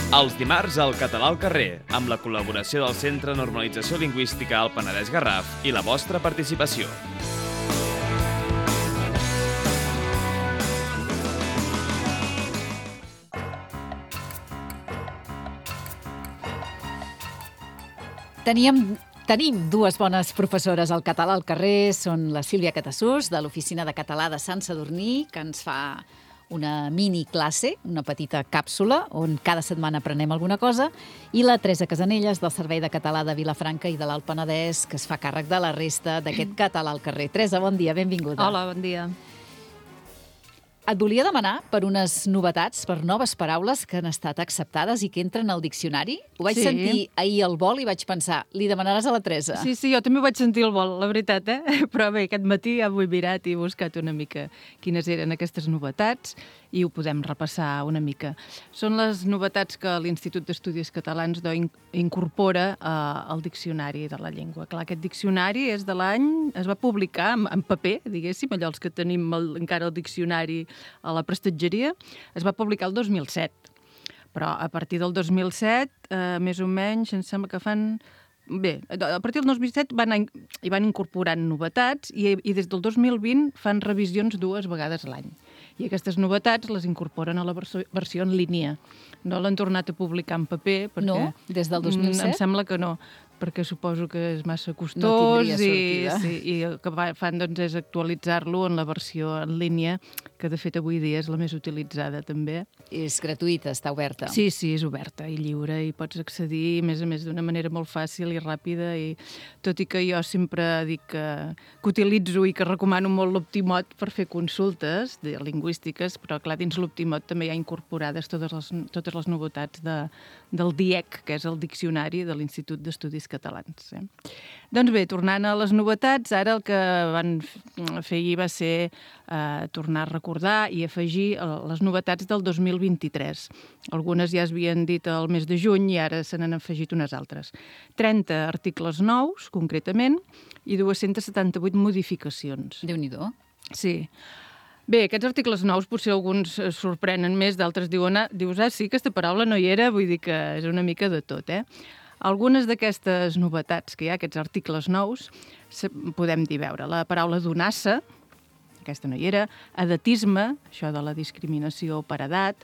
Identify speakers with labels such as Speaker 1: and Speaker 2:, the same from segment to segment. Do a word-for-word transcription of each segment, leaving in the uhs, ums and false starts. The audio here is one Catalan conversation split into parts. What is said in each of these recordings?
Speaker 1: Els dimarts al Català al carrer, amb la col·laboració del Centre de Normalització Lingüística al Penedès Garraf i la vostra participació.
Speaker 2: Teníem, tenim dues bones professores al català al carrer. Són la Sílvia Catassús, de l'Oficina de Català de Sant Sadurní, que ens fa una mini classe, una petita càpsula, on cada setmana aprenem alguna cosa, i la Teresa Casanelles, del Servei de Català de Vilafranca i de l'Alt Penedès, que es fa càrrec de la resta d'aquest català al carrer. Teresa, bon dia, benvinguda.
Speaker 3: Hola, bon dia.
Speaker 2: Et volia demanar per unes novetats, per noves paraules que han estat acceptades i que entren al diccionari. Ho vaig
Speaker 3: Sí.
Speaker 2: sentir ahir al vol i vaig pensar, li demanaràs a la Teresa.
Speaker 3: Sí, sí, jo també ho vaig sentir al vol, la veritat, eh? Però bé, aquest matí ja ho he mirat i he buscat una mica quines eren aquestes novetats i ho podem repassar una mica. Són les novetats que l'Institut d'Estudis Catalans d'O incorpora eh, al diccionari de la llengua. Clar, aquest diccionari és de l'any... es va publicar en, en paper, diguéssim, allò els que tenim el, encara el diccionari a la prestatgeria, es va publicar el dos mil set. Però a partir del dos mil set, eh, més o menys, em sembla que fan... Bé, a partir del dos mil set van, hi van incorporant novetats i, i des del dos mil vint fan revisions dues vegades a l'any. I aquestes novetats les incorporen a la versió, versió en línia. No l'han tornat a publicar en paper perquè...
Speaker 2: No? Des del dos mil set?
Speaker 3: Em sembla que no, perquè suposo que és massa costós
Speaker 2: No tindria
Speaker 3: i,
Speaker 2: sortida.
Speaker 3: sí, i el que fan doncs, és actualitzar-lo en la versió en línia, que de fet avui dia és la més utilitzada també.
Speaker 2: És gratuïta, està oberta.
Speaker 3: Sí, sí, és oberta i lliure i pots accedir, a més a més, d'una manera molt fàcil i ràpida. I tot i que jo sempre dic que, que utilitzo i que recomano molt l'Optimot per fer consultes de lingüístiques, però clar, dins l'Optimot també hi ha incorporades totes les, totes les novetats de, del D I E C, que és el Diccionari de l'Institut d'Estudis Catalans. Eh? Doncs bé, tornant a les novetats, ara el que van fer ahir va ser eh, tornar a recordar i afegir les novetats del dos mil vint-i-tres. Algunes ja es havien dit al mes de juny i ara se n'han afegit unes altres. trenta articles nous, concretament, i dues-centes setanta-vuit modificacions.
Speaker 2: Déu-n'hi-do.
Speaker 3: Sí. Bé, aquests articles nous potser alguns sorprenen més, d'altres diuen, ah, dius, ah, sí, aquesta paraula no hi era, vull dir que és una mica de tot, eh? Algunes d'aquestes novetats que hi ha, aquests articles nous, podem dir, veure, la paraula donassa, aquesta no hi era, edatisme, això de la discriminació per edat,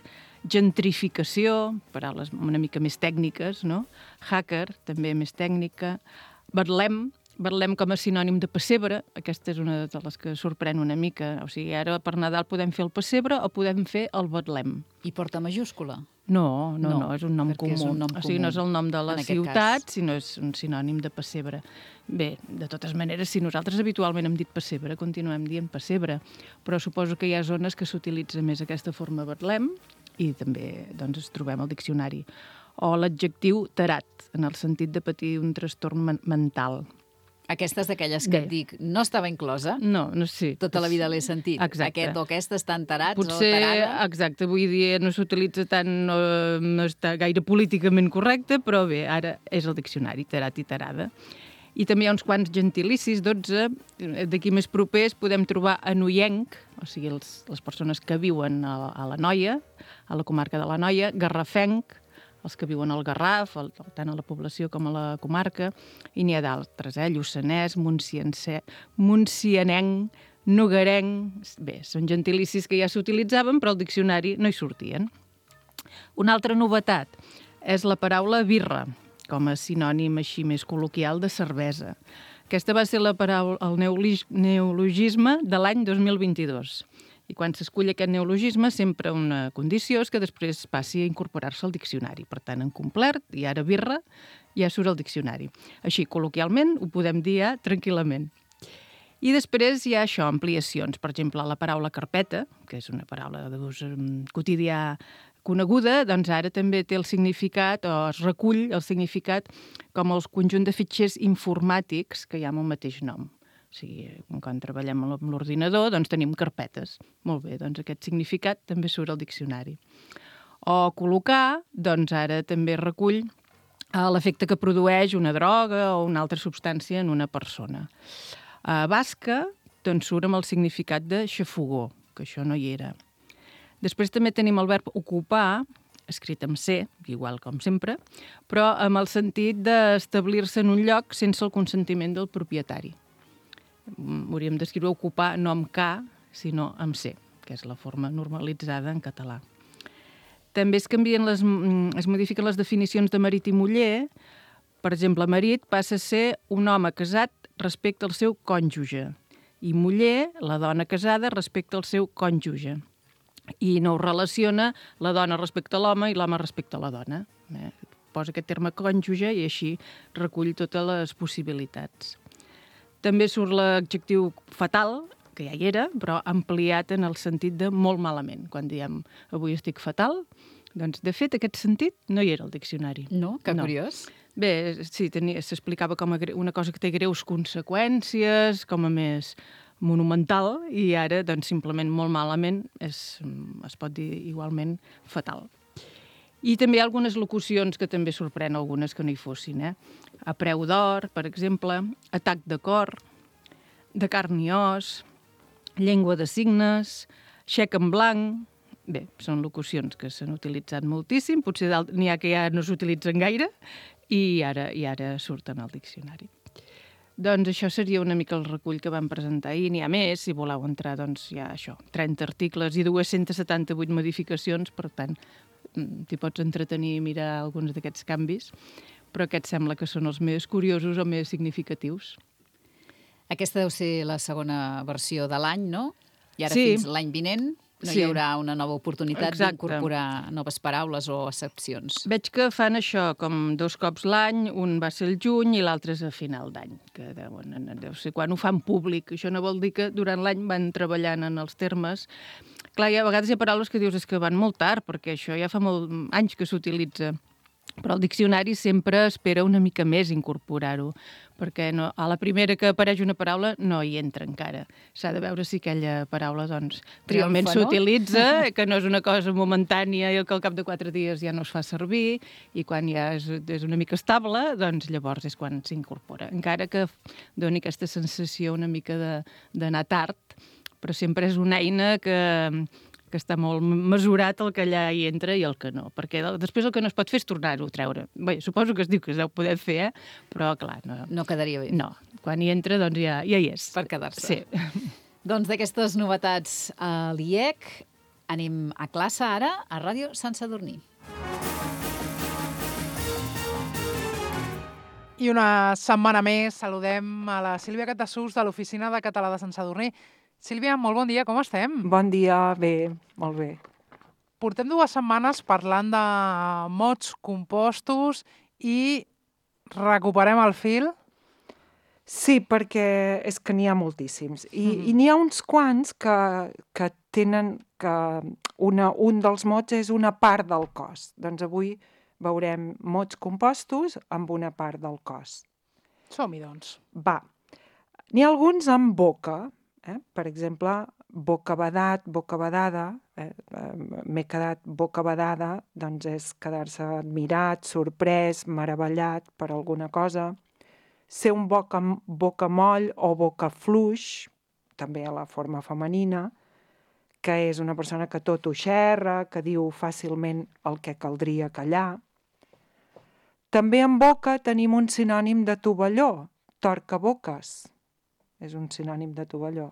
Speaker 3: gentrificació, paraules una mica més tècniques, no? Hacker, també més tècnica, betlem, betlem com a sinònim de pessebre, aquesta és una de les que sorprèn una mica, o sigui, ara per Nadal podem fer el pessebre o podem fer el betlem.
Speaker 2: I porta majúscula?
Speaker 3: No, no, no,
Speaker 2: No,
Speaker 3: és un nom
Speaker 2: perquè
Speaker 3: comú.
Speaker 2: és un nom
Speaker 3: o sigui,
Speaker 2: comú,
Speaker 3: no és el nom de la
Speaker 2: en aquest
Speaker 3: ciutat,
Speaker 2: cas.
Speaker 3: sinó és un sinònim de pessebre. Bé, de totes maneres, si nosaltres habitualment hem dit pessebre, continuem dient pessebre, però suposo que hi ha zones que s'utilitza més aquesta forma betlem i també doncs, es trobem al diccionari. O l'adjectiu tarat, en el sentit de patir un trastorn men mental.
Speaker 2: Aquesta és d'aquelles que
Speaker 3: Bé.
Speaker 2: et dic, no estava inclosa.
Speaker 3: No, no sé.
Speaker 2: Tota la vida l'he sentit.
Speaker 3: Exacte.
Speaker 2: Aquest o aquesta estan tarats
Speaker 3: Potser,
Speaker 2: o tarada.
Speaker 3: exacte, avui dia no s'utilitza tant, no, no està gaire políticament correcte, però bé, ara és el diccionari, tarat i tarada. I també hi ha uns quants gentilicis, dotze, d'aquí més propers podem trobar anoienc, o sigui, els, les persones que viuen a, a la Noia, a la comarca de la Noia, garrafenc, els que viuen al Garraf, el, tant a la població com a la comarca, i n'hi ha d'altres, eh? Lluçanès, Montsianenc, Nogarenc... Bé, són gentilicis que ja s'utilitzaven, però al diccionari no hi sortien. Una altra novetat és la paraula birra, com a sinònim així més col·loquial de cervesa. Aquesta va ser la paraula, el neologisme de l'any dos mil vint-i-dos. I quan s'escull aquest neologisme, sempre una condició és que després passi a incorporar-se al diccionari. Per tant, en complert, i ara birra, ja surt al diccionari. Així, col·loquialment, ho podem dir ja tranquil·lament. I després hi ha això, ampliacions. Per exemple, la paraula carpeta, que és una paraula d'ús quotidià coneguda, doncs ara també té el significat, o es recull el significat, com els conjunt de fitxers informàtics que hi ha amb el mateix nom. O sigui, quan treballem amb l'ordinador, doncs tenim carpetes. Molt bé, doncs aquest significat també surt al diccionari. O col·locar, doncs ara també recull l'efecte que produeix una droga o una altra substància en una persona. A basca, doncs surt amb el significat de xafogó, que això no hi era. Després també tenim el verb ocupar, escrit amb C, igual com sempre, però amb el sentit d'establir-se en un lloc sense el consentiment del propietari. Hauríem d'escriure ocupar no amb K, sinó amb C, que és la forma normalitzada en català. També es canvien les, es modifiquen les definicions de marit i muller. Per exemple, marit passa a ser un home casat respecte al seu cònjuge i muller, la dona casada, respecte al seu cònjuge. I no ho relaciona la dona respecte a l'home i l'home respecte a la dona. Eh? Posa aquest terme cònjuge i així recull totes les possibilitats. També surt l'adjectiu fatal, que ja hi era, però ampliat en el sentit de molt malament. Quan diem avui estic fatal, doncs de fet aquest sentit no hi era al diccionari.
Speaker 2: No? Que
Speaker 3: no.
Speaker 2: Curiós.
Speaker 3: Bé, sí, s'explicava com a una cosa que té greus conseqüències, com a més monumental, i ara, doncs, simplement molt malament es, es pot dir igualment fatal. I també hi ha algunes locucions que també sorprèn algunes que no hi fossin. Eh? A preu d'or, per exemple, atac de cor, de carn i os, llengua de signes, xec en blanc. Bé, són locucions que s'han utilitzat moltíssim, potser n'hi ha que ja no s'utilitzen gaire, i ara, i ara surten al diccionari. Doncs això seria una mica el recull que vam presentar ahir. N'hi ha més, si voleu entrar, doncs hi ha això, trenta articles i dues-centes setanta-vuit modificacions, per tant, t'hi pots entretenir i mirar alguns d'aquests canvis, però aquests sembla que són els més curiosos o més significatius.
Speaker 2: Aquesta deu ser la segona versió de l'any, no? I ara
Speaker 3: sí.
Speaker 2: fins l'any vinent no
Speaker 3: sí.
Speaker 2: hi haurà una nova oportunitat
Speaker 3: Exacte.
Speaker 2: d'incorporar noves paraules o accepcions.
Speaker 3: Veig que fan això com dos cops l'any, un va ser el juny i l'altre és a final d'any, que deuen, deu ser quan ho fan públic. Això no vol dir que durant l'any van treballant en els termes. Clar, hi ha, a vegades hi ha paraules que dius és que van molt tard, perquè això ja fa molts anys que s'utilitza. Però el diccionari sempre espera una mica més incorporar-ho, perquè no, a la primera que apareix una paraula no hi entra encara. S'ha de veure si aquella paraula doncs, realment s'utilitza, no? Que no és una cosa momentània i que al cap de quatre dies ja no es fa servir, i quan ja és, és una mica estable, doncs llavors és quan s'incorpora. Encara que doni aquesta sensació una mica d'anar tard, però sempre és una eina que... que està molt mesurat el que allà hi entra i el que no, perquè després el que no es pot fer és tornar-ho a treure. Bé, suposo que es diu que es deu poder fer, eh? Però clar, no.
Speaker 2: No quedaria bé.
Speaker 3: No, quan hi entra doncs ja, ja hi és.
Speaker 2: Per quedar-se.
Speaker 3: Sí.
Speaker 2: Doncs d'aquestes novetats a l'I E C anem a classe ara a Ràdio Sant Sadurní.
Speaker 4: I una setmana més saludem a la Sílvia Catasús de l'Oficina de Català de Sant Sadurní. Sílvia, molt bon dia, com estem?
Speaker 5: Bon dia, bé, molt bé.
Speaker 4: Portem dues setmanes parlant de mots compostos i recuperem el fil?
Speaker 5: Sí, perquè és que n'hi ha moltíssims. I,
Speaker 4: Mm-hmm.
Speaker 5: i n'hi ha uns quants que, que tenen que una, un dels mots és una part del cos. Doncs avui veurem mots compostos amb una part del cos.
Speaker 4: Som-hi, doncs.
Speaker 5: Va. N'hi ha alguns amb boca. Eh? Per exemple, bocabadat, bocabadada, eh? m'he quedat bocabadada, doncs és quedar-se admirat, sorprès, meravellat per alguna cosa. Ser un boca, bocamoll o bocafluix, també a la forma femenina, que és una persona que tot ho xerra, que diu fàcilment el que caldria callar. També en boca tenim un sinònim de tovalló, torcaboques. És un sinònim de tovalló.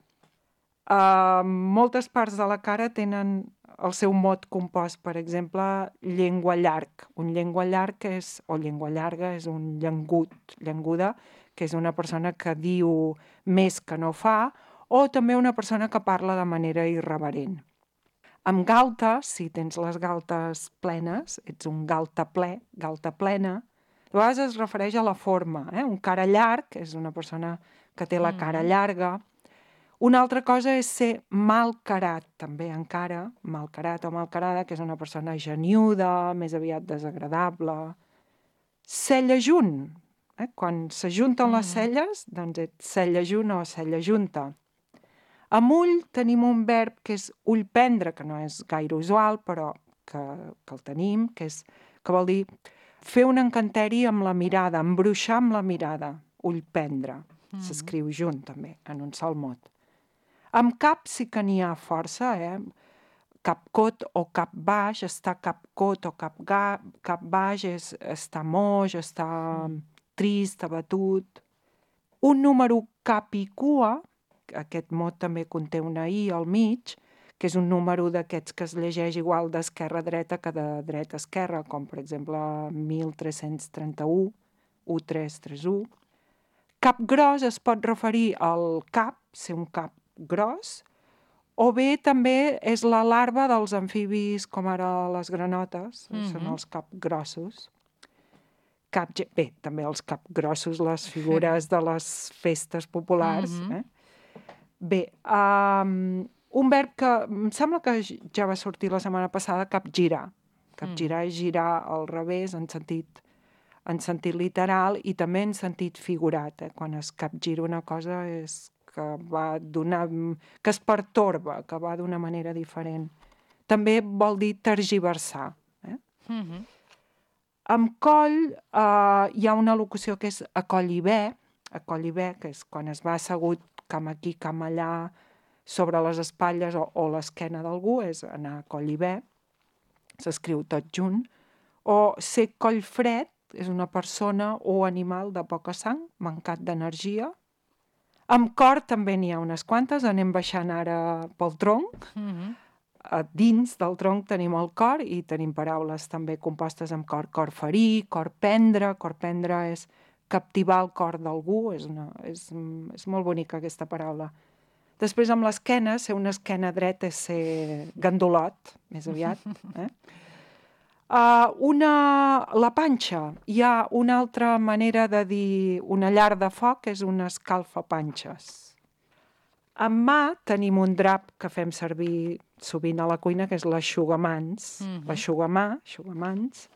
Speaker 5: Uh, moltes parts de la cara tenen el seu mot compost, per exemple, llengua llarg. Un llengua llarg és, o llengua llarga és un llengut, llenguda, que és una persona que diu més que no fa, o també una persona que parla de manera irreverent. Amb galta, si tens les galtes plenes, ets un galta ple, galta plena, a vegades es refereix a la forma. Eh? Un cara llarg és una persona que té la cara llarga. Una altra cosa és ser malcarat, també encara, malcarat o malcarada, que és una persona geniuda, més aviat desagradable. Cella junt, eh? Quan s'ajunten les celles, doncs ets cella junt o cella junta. Amb ull tenim un verb que és ullprendre, que no és gaire usual, però que, que el tenim, que, és, que vol dir fer un encanteri amb la mirada, embruixar amb la mirada, ullprendre. Mm-hmm. S'escriu junt, també, en un sol mot. Amb cap sí que n'hi ha força, eh? capcot o cap baix, està capcot o cap, ga, cap baix, és, està moix, està trist, abatut. Un número cap i cua, aquest mot també conté una i al mig, que és un número d'aquests que es llegeix igual d'esquerra a dreta que de dreta a esquerra, com per exemple mil tres-cents trenta-u, u tres tres u. Cap gros es pot referir al cap, ser un cap gros, o bé també és la larva dels amfibis com ara les granotes, mm-hmm. són els capgrossos. Cap, bé, també els capgrossos, les figures de les festes populars. Mm-hmm. Eh? Bé, um, un verb que em sembla que ja va sortir la setmana passada, capgirar. Capgirar mm. és girar al revés en sentit, en sentit literal i també en sentit figurat. Eh? Quan es capgira una cosa és que va donar, que es pertorba, que va d'una manera diferent. També vol dir tergiversar. Eh? Mm-hmm. Amb coll eh, hi ha una locució que és a coll i bé, a coll i bé, que és quan es va assegut cam aquí, cam allà, sobre les espatlles o, o l'esquena d'algú, és anar a coll i bé, s'escriu tot junt, o ser coll fred, és una persona o animal de poca sang, mancat d'energia. Amb cor també n'hi ha unes quantes, anem baixant ara pel tronc. Mm-hmm. A dins del tronc tenim el cor i tenim paraules també compostes amb cor. Cor ferir, cor prendre, cor prendre és captivar el cor d'algú, és, una, és, és molt bonica aquesta paraula. Després amb l'esquena, ser una esquena dreta és ser gandolot, més aviat. Eh? Uh, una, la panxa, hi ha una altra manera de dir una llar de foc, és una escalfapanxes. En mà tenim un drap que fem servir sovint a la cuina, que és l'aixugamans, mm-hmm. l'aixugamà, aixugamans.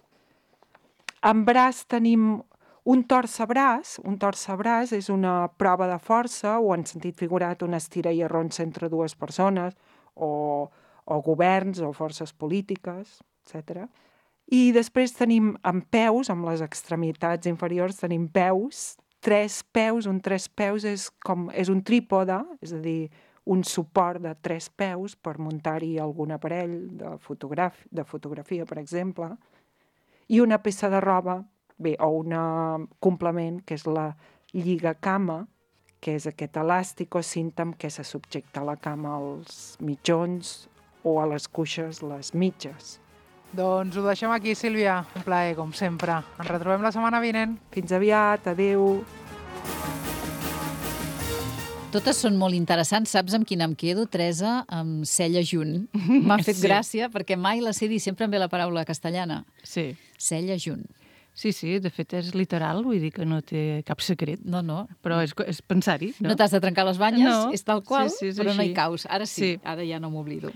Speaker 5: En braç tenim un torcebraç, un torcebraç és una prova de força, o en sentit figurat una estira i arronsa entre dues persones, o, o governs, o forces polítiques, etcètera. I després tenim amb peus, amb les extremitats inferiors, tenim peus, tres peus, un tres peus és, com, és un trípode, és a dir, un suport de tres peus per muntar-hi algun aparell de, fotograf de fotografia, per exemple, i una peça de roba, bé, o un complement, que és la lligacama, que és aquest elàstic o cinta amb què se subjecta la cama als mitjons o a les cuixes, les mitges.
Speaker 4: Doncs ho deixem aquí, Sílvia. Un plaer, com sempre. Ens retrobem la setmana vinent.
Speaker 5: Fins aviat, adeu.
Speaker 2: Totes són molt interessants. Saps amb quina em quedo, Teresa? Amb Cella Junt. M'ha fet sí. gràcia, perquè mai la sé dir, sempre em ve la paraula castellana.
Speaker 3: Sí.
Speaker 2: Cella Junt.
Speaker 3: Sí, sí, de fet és literal, vull dir que no té cap secret.
Speaker 2: No, no.
Speaker 3: Però és, és pensar-hi. No,
Speaker 2: no t'has de trencar les banyes,
Speaker 3: no.
Speaker 2: és tal qual,
Speaker 3: sí, sí, és
Speaker 2: però
Speaker 3: així.
Speaker 2: no hi caus. Ara sí,
Speaker 3: sí.
Speaker 2: ara ja no m'oblido.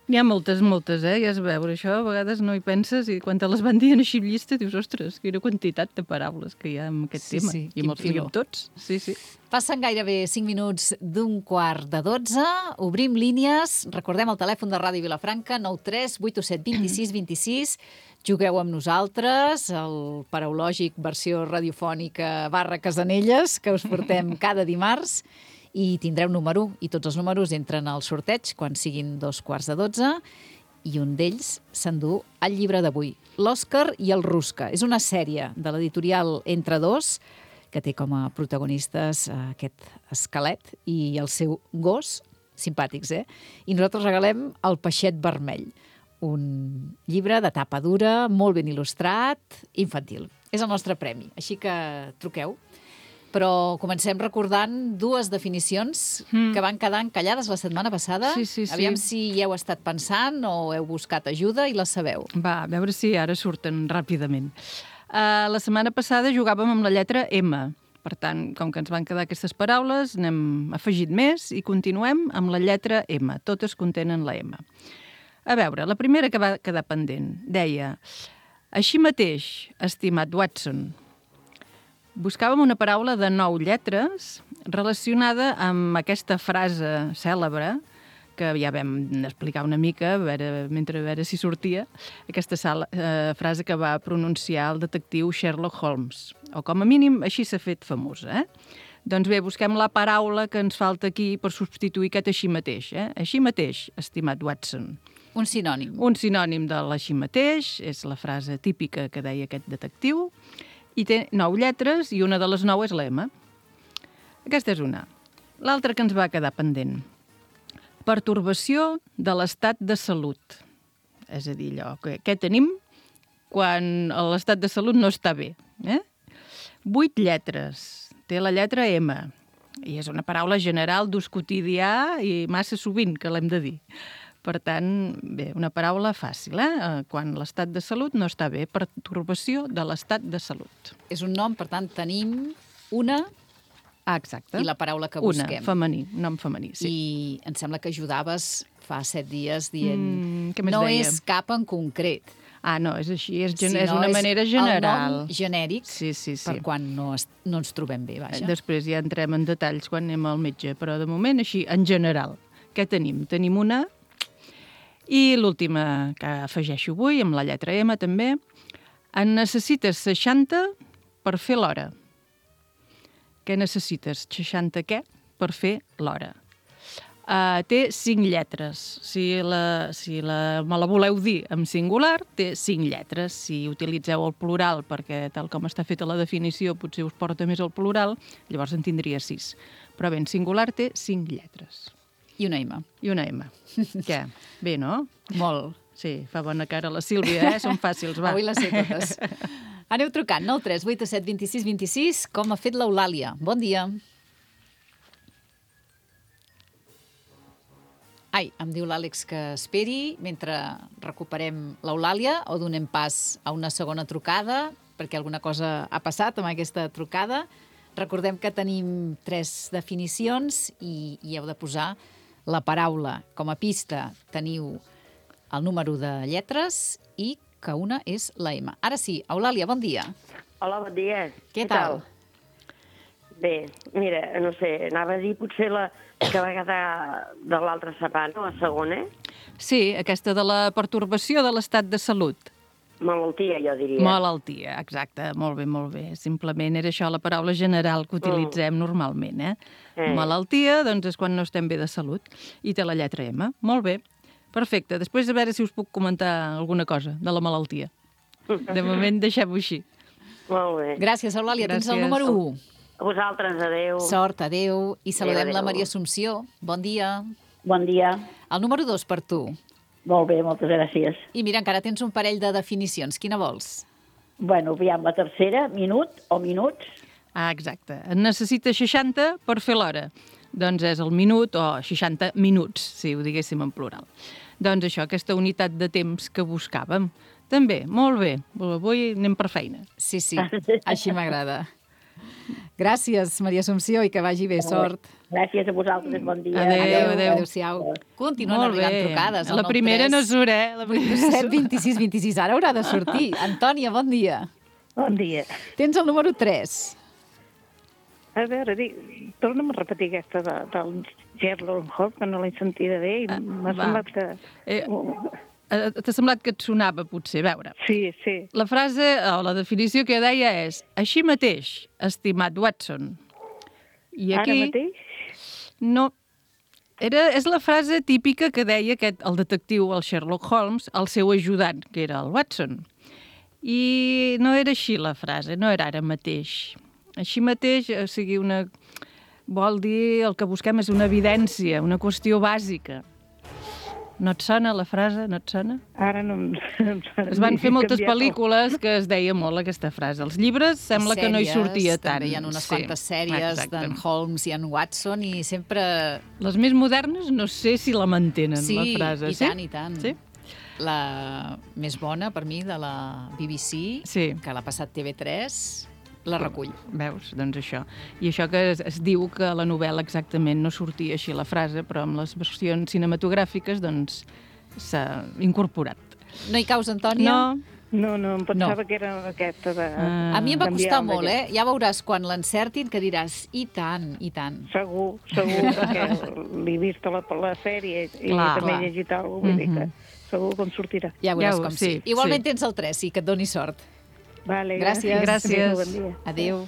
Speaker 3: N'hi ha moltes, moltes, eh? Ja has de veure això, a vegades no hi penses i quan te les van dient així llista dius, ostres, quina quantitat de paraules que hi ha en aquest
Speaker 2: sí,
Speaker 3: tema.
Speaker 2: Sí,
Speaker 3: I amb els diem tots. Sí, sí.
Speaker 2: Passen gairebé cinc minuts d'un quart de dotze, obrim línies, recordem el telèfon de Ràdio Vilafranca, nou tres vuit set dos sis dos sis, jugueu amb nosaltres, el paraulògic versió radiofònica barra Casanelles, que us portem cada dimarts, i tindreu número, i tots els números entren al sorteig quan siguin dos quarts de dotze, i un d'ells s'endú el llibre d'avui, L'Òscar i el Rusca. És una sèrie de l'editorial Entre Dos, que té com a protagonistes aquest esquelet i el seu gos, simpàtics, eh? I nosaltres regalem El Peixet Vermell, un llibre de tapa dura, molt ben il·lustrat, infantil. És el nostre premi, així que truqueu. Però comencem recordant dues definicions mm. que van quedar encallades la setmana passada.
Speaker 3: Sí, sí, sí.
Speaker 2: Aviam si hi heu estat pensant o heu buscat ajuda i les sabeu.
Speaker 3: Va, a veure si ara surten ràpidament. Uh, la setmana passada jugàvem amb la lletra M. Per tant, com que ens van quedar aquestes paraules, n'hem afegit més i continuem amb la lletra M. Totes contenen la M. A veure, la primera que va quedar pendent deia: així mateix, estimat Watson. Buscàvem una paraula de nou lletres relacionada amb aquesta frase cèlebre que ja vam explicar una mica, a veure, mentre a veure si sortia, aquesta sala, eh, frase que va pronunciar el detectiu Sherlock Holmes. O com a mínim així s'ha fet famosa, eh? Doncs bé, busquem la paraula que ens falta aquí per substituir aquest així mateix. Eh? Així mateix, estimat Watson.
Speaker 2: Un sinònim.
Speaker 3: Un sinònim de l'així mateix, és la frase típica que deia aquest detectiu, i té nou lletres i una de les nou és la M. Aquesta és una. L'altra que ens va quedar pendent. Pertorbació de l'estat de salut. És a dir, allò, què, què tenim quan l'estat de salut no està bé? Eh? Vuit lletres. Té la lletra M. I és una paraula general d'ús quotidià i massa sovint que l'hem de dir. Per tant, bé, una paraula fàcil, eh? Quan l'estat de salut no està bé. Pertorbació de l'estat de salut.
Speaker 2: És un nom, per tant, tenim una...
Speaker 3: Ah, exacte.
Speaker 2: I la paraula que
Speaker 3: Una,
Speaker 2: busquem.
Speaker 3: femení, nom femení, sí.
Speaker 2: I em sembla que ajudaves fa set dies dient...
Speaker 3: Mm, què més
Speaker 2: no
Speaker 3: deia?
Speaker 2: és cap en concret.
Speaker 3: Ah, no, és així, és, gen...
Speaker 2: sinó
Speaker 3: és una manera general.
Speaker 2: El nom genèric
Speaker 3: Sí, sí, sí.
Speaker 2: per quan no, es, no ens trobem bé, vaja.
Speaker 3: Després ja entrem en detalls quan anem al metge, però de moment així, en general. Què tenim? Tenim una... I l'última que afegeixo avui, amb la lletra M també, en necessites seixanta per fer l'hora. Què necessites? seixanta què? Per fer l'hora. Uh, té cinc lletres. Si, la, si la, me la voleu dir en singular, té cinc lletres. Si utilitzeu el plural, perquè tal com està feta la definició potser us porta més al plural, llavors en tindria sis. Però bé, en singular té cinc lletres.
Speaker 2: I una M.
Speaker 3: I una M. Què? Bé, no?
Speaker 2: Molt.
Speaker 3: Sí, fa bona cara la Sílvia, eh? Són fàcils, va.
Speaker 2: Avui les sé totes. Aneu trucant, nou tres vuit set dos sis dos sis, com ha fet l'Eulàlia. Bon dia. Ai, em diu l'Àlex que esperi mentre recuperem l'Eulàlia o donem pas a una segona trucada, perquè alguna cosa ha passat amb aquesta trucada. Recordem que tenim tres definicions i, i heu de posar la paraula. Com a pista teniu el número de lletres i que una és la M. Ara sí, Eulàlia, bon dia.
Speaker 6: Hola, bon dia.
Speaker 2: Què tal?
Speaker 6: Bé, mira, no sé, anava a dir potser la que va quedar de l'altra setmana, la segona.
Speaker 3: Sí, aquesta de la pertorbació de l'estat de salut.
Speaker 6: Malaltia, jo diria.
Speaker 3: Malaltia, exacte, molt bé, molt bé. Simplement era això la paraula general que utilitzem mm. normalment, eh?
Speaker 6: eh?
Speaker 3: Malaltia, doncs és quan no estem bé de salut. I té la lletra M. Molt bé, perfecte. Després a veure si us puc comentar alguna cosa de la malaltia. De moment deixem-ho així.
Speaker 6: Molt bé.
Speaker 2: Gràcies, Eulàlia. Tens el
Speaker 3: Gràcies.
Speaker 2: número u.
Speaker 6: A vosaltres, adeu.
Speaker 2: Sort, adeu. I saludem
Speaker 6: Adéu,
Speaker 2: la
Speaker 6: adéu.
Speaker 2: Maria Assumpció. Bon dia.
Speaker 7: Bon dia.
Speaker 2: El número dos per tu.
Speaker 7: Molt bé, moltes gràcies.
Speaker 2: I mira, encara tens un parell de definicions. Quina vols?
Speaker 7: Bueno, aviam, la tercera, minut o minuts.
Speaker 3: Ah, exacte. En necessita seixanta per fer l'hora. Doncs és el minut o seixanta minuts, si ho diguéssim en plural. Doncs això, aquesta unitat de temps que buscàvem. També, molt bé. Avui anem per feina.
Speaker 2: Sí, sí, així m'agrada. Gràcies, Maria Assumpció, i que vagi bé, sort.
Speaker 7: Gràcies a vosaltres, bon dia.
Speaker 3: Adéu, adéu.
Speaker 2: Adéu-siau. Continuen
Speaker 3: Molt
Speaker 2: arribant
Speaker 3: bé.
Speaker 2: trucades.
Speaker 3: La primera no surt, eh? La primera no
Speaker 2: set
Speaker 3: surt.
Speaker 2: vint sis vint sis. Ara haurà de sortir. Antònia, bon dia.
Speaker 8: Bon dia.
Speaker 2: Tens el número tres.
Speaker 8: A veure, di, torna'm a repetir aquesta de, del Sherlock Holmes, que no l'he sentida bé i
Speaker 3: Ah,
Speaker 8: m'ha
Speaker 3: va.
Speaker 8: semblat que...
Speaker 3: Eh, eh, T'ha semblat que et sonava, potser, a veure.
Speaker 8: Sí, sí.
Speaker 3: La frase, o la definició que deia és així mateix, estimat Watson. I aquí...
Speaker 8: Ara mateix?
Speaker 3: No. Era, és la frase típica que deia aquest, el detectiu, el Sherlock Holmes, al seu ajudant, que era el Watson. I no era així la frase, no era ara mateix. Així mateix, o sigui, una... vol dir el que busquem és una evidència, una qüestió bàsica. No et sona la frase? No et sona?
Speaker 8: Ara no em, em sona.
Speaker 3: Es van fer moltes
Speaker 8: Canviat el-
Speaker 3: pel·lícules que es deia molt aquesta frase. Els llibres sembla que no hi sortia tant.
Speaker 2: També hi ha unes
Speaker 3: Sí,
Speaker 2: quantes sèries
Speaker 3: exacte.
Speaker 2: d'en Holmes i en Watson i sempre...
Speaker 3: Les més modernes no sé si la mantenen,
Speaker 2: Sí,
Speaker 3: la frase.
Speaker 2: i tant, i tant.
Speaker 3: Sí?
Speaker 2: La més bona, per mi, de la B B C,
Speaker 3: Sí.
Speaker 2: que l'ha passat T V tres, la recull.
Speaker 3: Veus? Doncs això. I això que es, es diu que a la novel·la exactament no sortia així la frase, però amb les versions cinematogràfiques doncs s'ha incorporat.
Speaker 2: No hi caus, Antònia?
Speaker 3: No?
Speaker 8: No, no, em pensava
Speaker 2: No.
Speaker 8: que era aquesta de...
Speaker 3: Ah.
Speaker 2: A mi em va
Speaker 8: canviar
Speaker 2: costar
Speaker 8: el
Speaker 2: molt,
Speaker 8: d'aquest.
Speaker 2: eh? Ja veuràs quan l'encertin que diràs i tant, i tant.
Speaker 8: Segur, segur, perquè l'he vist a la, a la sèrie i
Speaker 3: Clar,
Speaker 8: també
Speaker 3: clar.
Speaker 8: he llegit alguna cosa, vull dir que
Speaker 3: Mhm.
Speaker 8: segur que em sortirà.
Speaker 2: Ja veuràs
Speaker 3: Ja ho-
Speaker 2: com sí.
Speaker 3: sí,
Speaker 2: Igualment
Speaker 3: sí.
Speaker 2: tens el tres, i que et doni sort.
Speaker 8: Vale,
Speaker 2: Gràcies.
Speaker 3: Gràcies.
Speaker 8: Bon dia.
Speaker 2: Adéu.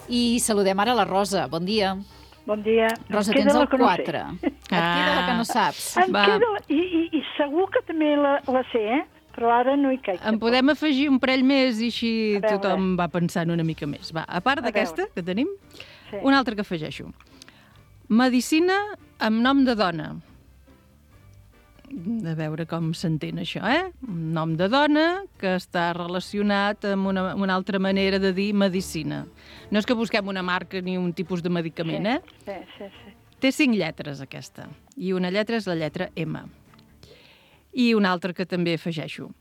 Speaker 2: I saludem ara la Rosa. Bon dia.
Speaker 9: Bon dia.
Speaker 2: Rosa,
Speaker 9: Em queda
Speaker 2: tens
Speaker 9: la
Speaker 2: el
Speaker 9: que no sé.
Speaker 2: quatre. Et queda la que no saps.
Speaker 9: Em
Speaker 3: Va.
Speaker 9: queda... I, i, I
Speaker 8: segur que també la, la sé, eh? Però ara no hi caic.
Speaker 3: En podem afegir un parell més i així
Speaker 8: A veure.
Speaker 3: tothom va pensant una mica més. Va, a part
Speaker 8: A
Speaker 3: d'aquesta
Speaker 8: veure.
Speaker 3: que tenim,
Speaker 8: Sí.
Speaker 3: una altra que afegeixo. Medicina amb nom de dona. A veure com s'entén això, eh? Un nom de dona que està relacionat amb una, una altra manera de dir medicina. No és que busquem una marca ni un tipus de medicament, eh?
Speaker 8: Sí, sí, sí.
Speaker 3: Té cinc lletres, aquesta. I una lletra és la lletra M. I una altra que també afegeixo.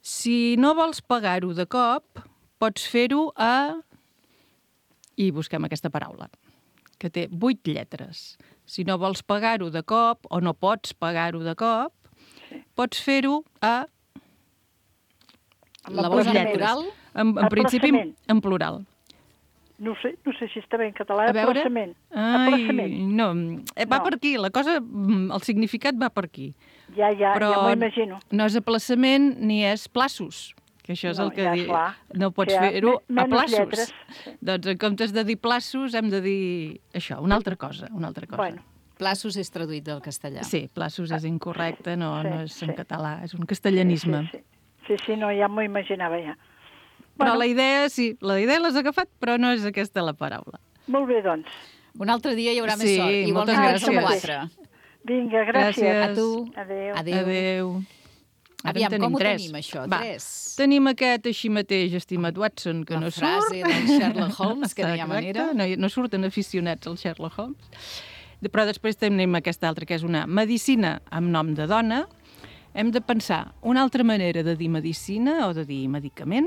Speaker 3: Si no vols pagar-ho de cop, pots fer-ho a... I busquem aquesta paraula, que té vuit lletres. Si no vols pagar-ho de cop, o no pots pagar-ho de cop, pots fer-ho a...
Speaker 2: La vols en
Speaker 8: Aplaçament.
Speaker 2: plural?
Speaker 3: En, en principi,
Speaker 8: Aplaçament.
Speaker 3: en plural.
Speaker 8: No ho sé, no sé si està bé en català.
Speaker 3: A veure...
Speaker 8: Aplaçament.
Speaker 3: Ai,
Speaker 8: Aplaçament.
Speaker 3: no, eh, va
Speaker 8: No.
Speaker 3: per aquí, la cosa, mm, el significat va per aquí.
Speaker 8: Ja, ja,
Speaker 3: Però
Speaker 8: ja m'ho imagino.
Speaker 3: no és aplaçament ni és plaços, que això és
Speaker 8: No,
Speaker 3: el que
Speaker 8: ja,
Speaker 3: di...
Speaker 8: clar.
Speaker 3: No pots
Speaker 8: Ja,
Speaker 3: fer-ho
Speaker 8: me-
Speaker 3: a
Speaker 8: menys
Speaker 3: plaços.
Speaker 8: lletres, sí.
Speaker 3: Doncs en comptes de dir plaços hem de dir això, una altra cosa, una altra cosa.
Speaker 8: Bueno,
Speaker 2: Plaços és traduït del castellà.
Speaker 3: Sí, plaços és incorrecte, no,
Speaker 8: Sí,
Speaker 3: no és en
Speaker 8: sí.
Speaker 3: català, és un castellanisme.
Speaker 8: sí, sí. Sí, sí, no, ja m'ho imaginava ja.
Speaker 3: Però
Speaker 8: Bueno.
Speaker 3: la idea, sí, la idea l'has agafat, però no és aquesta la paraula.
Speaker 8: Molt bé, doncs.
Speaker 2: Un altre dia hi haurà més
Speaker 3: Sí,
Speaker 2: sort. Igual
Speaker 3: moltes
Speaker 2: que
Speaker 8: gràcies.
Speaker 2: som quatre.
Speaker 8: Vinga, gràcies.
Speaker 3: Gràcies.
Speaker 2: A tu.
Speaker 8: Adéu.
Speaker 2: Adéu.
Speaker 3: Adéu. Ara
Speaker 2: Aviam,
Speaker 3: en tenim
Speaker 2: com ho
Speaker 3: tres.
Speaker 2: tenim, això?
Speaker 3: Va,
Speaker 2: Tres.
Speaker 3: Tenim aquest així mateix, estimat Watson, que
Speaker 2: La
Speaker 3: no
Speaker 2: frase
Speaker 3: surt.
Speaker 2: del Sherlock Holmes, que no hi ha
Speaker 3: Exacte,
Speaker 2: manera.
Speaker 3: No, no surten aficionats al Sherlock Holmes. De- Però després tenim aquesta altra, que és una medicina amb nom de dona. Hem de pensar una altra manera de dir medicina o de dir medicament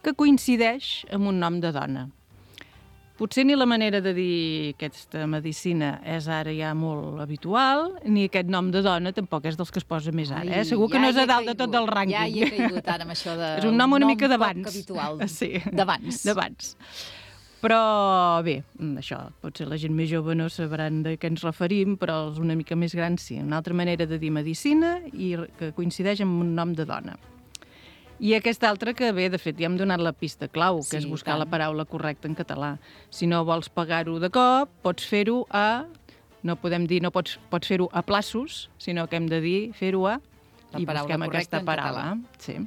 Speaker 3: que coincideix amb un nom de dona. Potser ni la manera de dir aquesta medicina és ara ja molt habitual, ni aquest nom de dona tampoc és dels que es posa més ara. Eh?
Speaker 2: Ai,
Speaker 3: Segur que
Speaker 2: ja
Speaker 3: no és
Speaker 2: hi he
Speaker 3: a dalt de tot
Speaker 2: caigut.
Speaker 3: el rànquing.
Speaker 2: Ja hi he caigut ara amb això de...
Speaker 3: És un nom una mica
Speaker 2: poc
Speaker 3: d'abans.
Speaker 2: habitual.
Speaker 3: Sí.
Speaker 2: D'abans.
Speaker 3: D'abans. Però bé, això, potser la gent més jove no sabran de què ens referim, però els una mica més grans sí. Una altra manera de dir medicina i que coincideix amb un nom de dona. I aquesta altra que bé, de fet, ja hem donat la pista clau, que
Speaker 2: Sí,
Speaker 3: és buscar
Speaker 2: tant.
Speaker 3: la paraula correcta en català. Si no vols pagar-ho de cop, pots fer-ho a... No podem dir, no pots, pots fer-ho a plaços, sinó que hem de dir fer-ho a...
Speaker 2: La
Speaker 3: I
Speaker 2: paraula
Speaker 3: busquem
Speaker 2: correcta
Speaker 3: aquesta
Speaker 2: en
Speaker 3: paraula.
Speaker 2: català.
Speaker 3: Sí.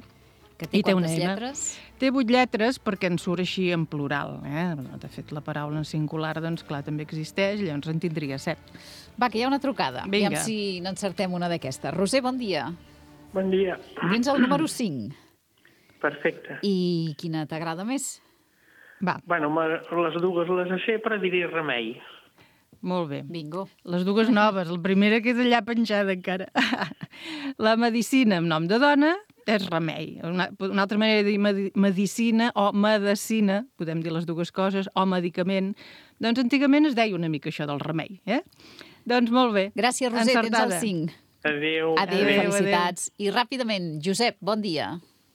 Speaker 2: Que té
Speaker 3: I té una
Speaker 2: quantes
Speaker 3: M.
Speaker 2: lletres?
Speaker 3: Té vuit lletres perquè en surt així en plural. Eh? De fet, la paraula en singular, doncs, clar, també existeix, llavors en tindria set.
Speaker 2: Va, que hi ha una trucada.
Speaker 3: Vinga.
Speaker 2: Aviam si n'encertem una d'aquestes. Roser, bon dia.
Speaker 9: Bon dia.
Speaker 2: Tens el número cinc.
Speaker 9: Perfecte.
Speaker 2: I quina t'agrada més?
Speaker 3: Va,
Speaker 9: Bueno, me- les dues les sé, però diré remei.
Speaker 3: molt bé.
Speaker 2: Bingo.
Speaker 3: Les dues noves, la primera queda allà penjada encara. La medicina amb nom de dona és remei. Una, una altra manera de dir medi medicina o medicina, podem dir les dues coses, o medicament. Doncs antigament es deia una mica això del remei, eh? Doncs molt bé.
Speaker 2: Gràcies, Roser,
Speaker 3: Encertada.
Speaker 2: tens el cinc.
Speaker 9: Adéu.
Speaker 2: Adéu,
Speaker 3: Adéu,
Speaker 2: felicitats. I ràpidament, Josep, bon dia.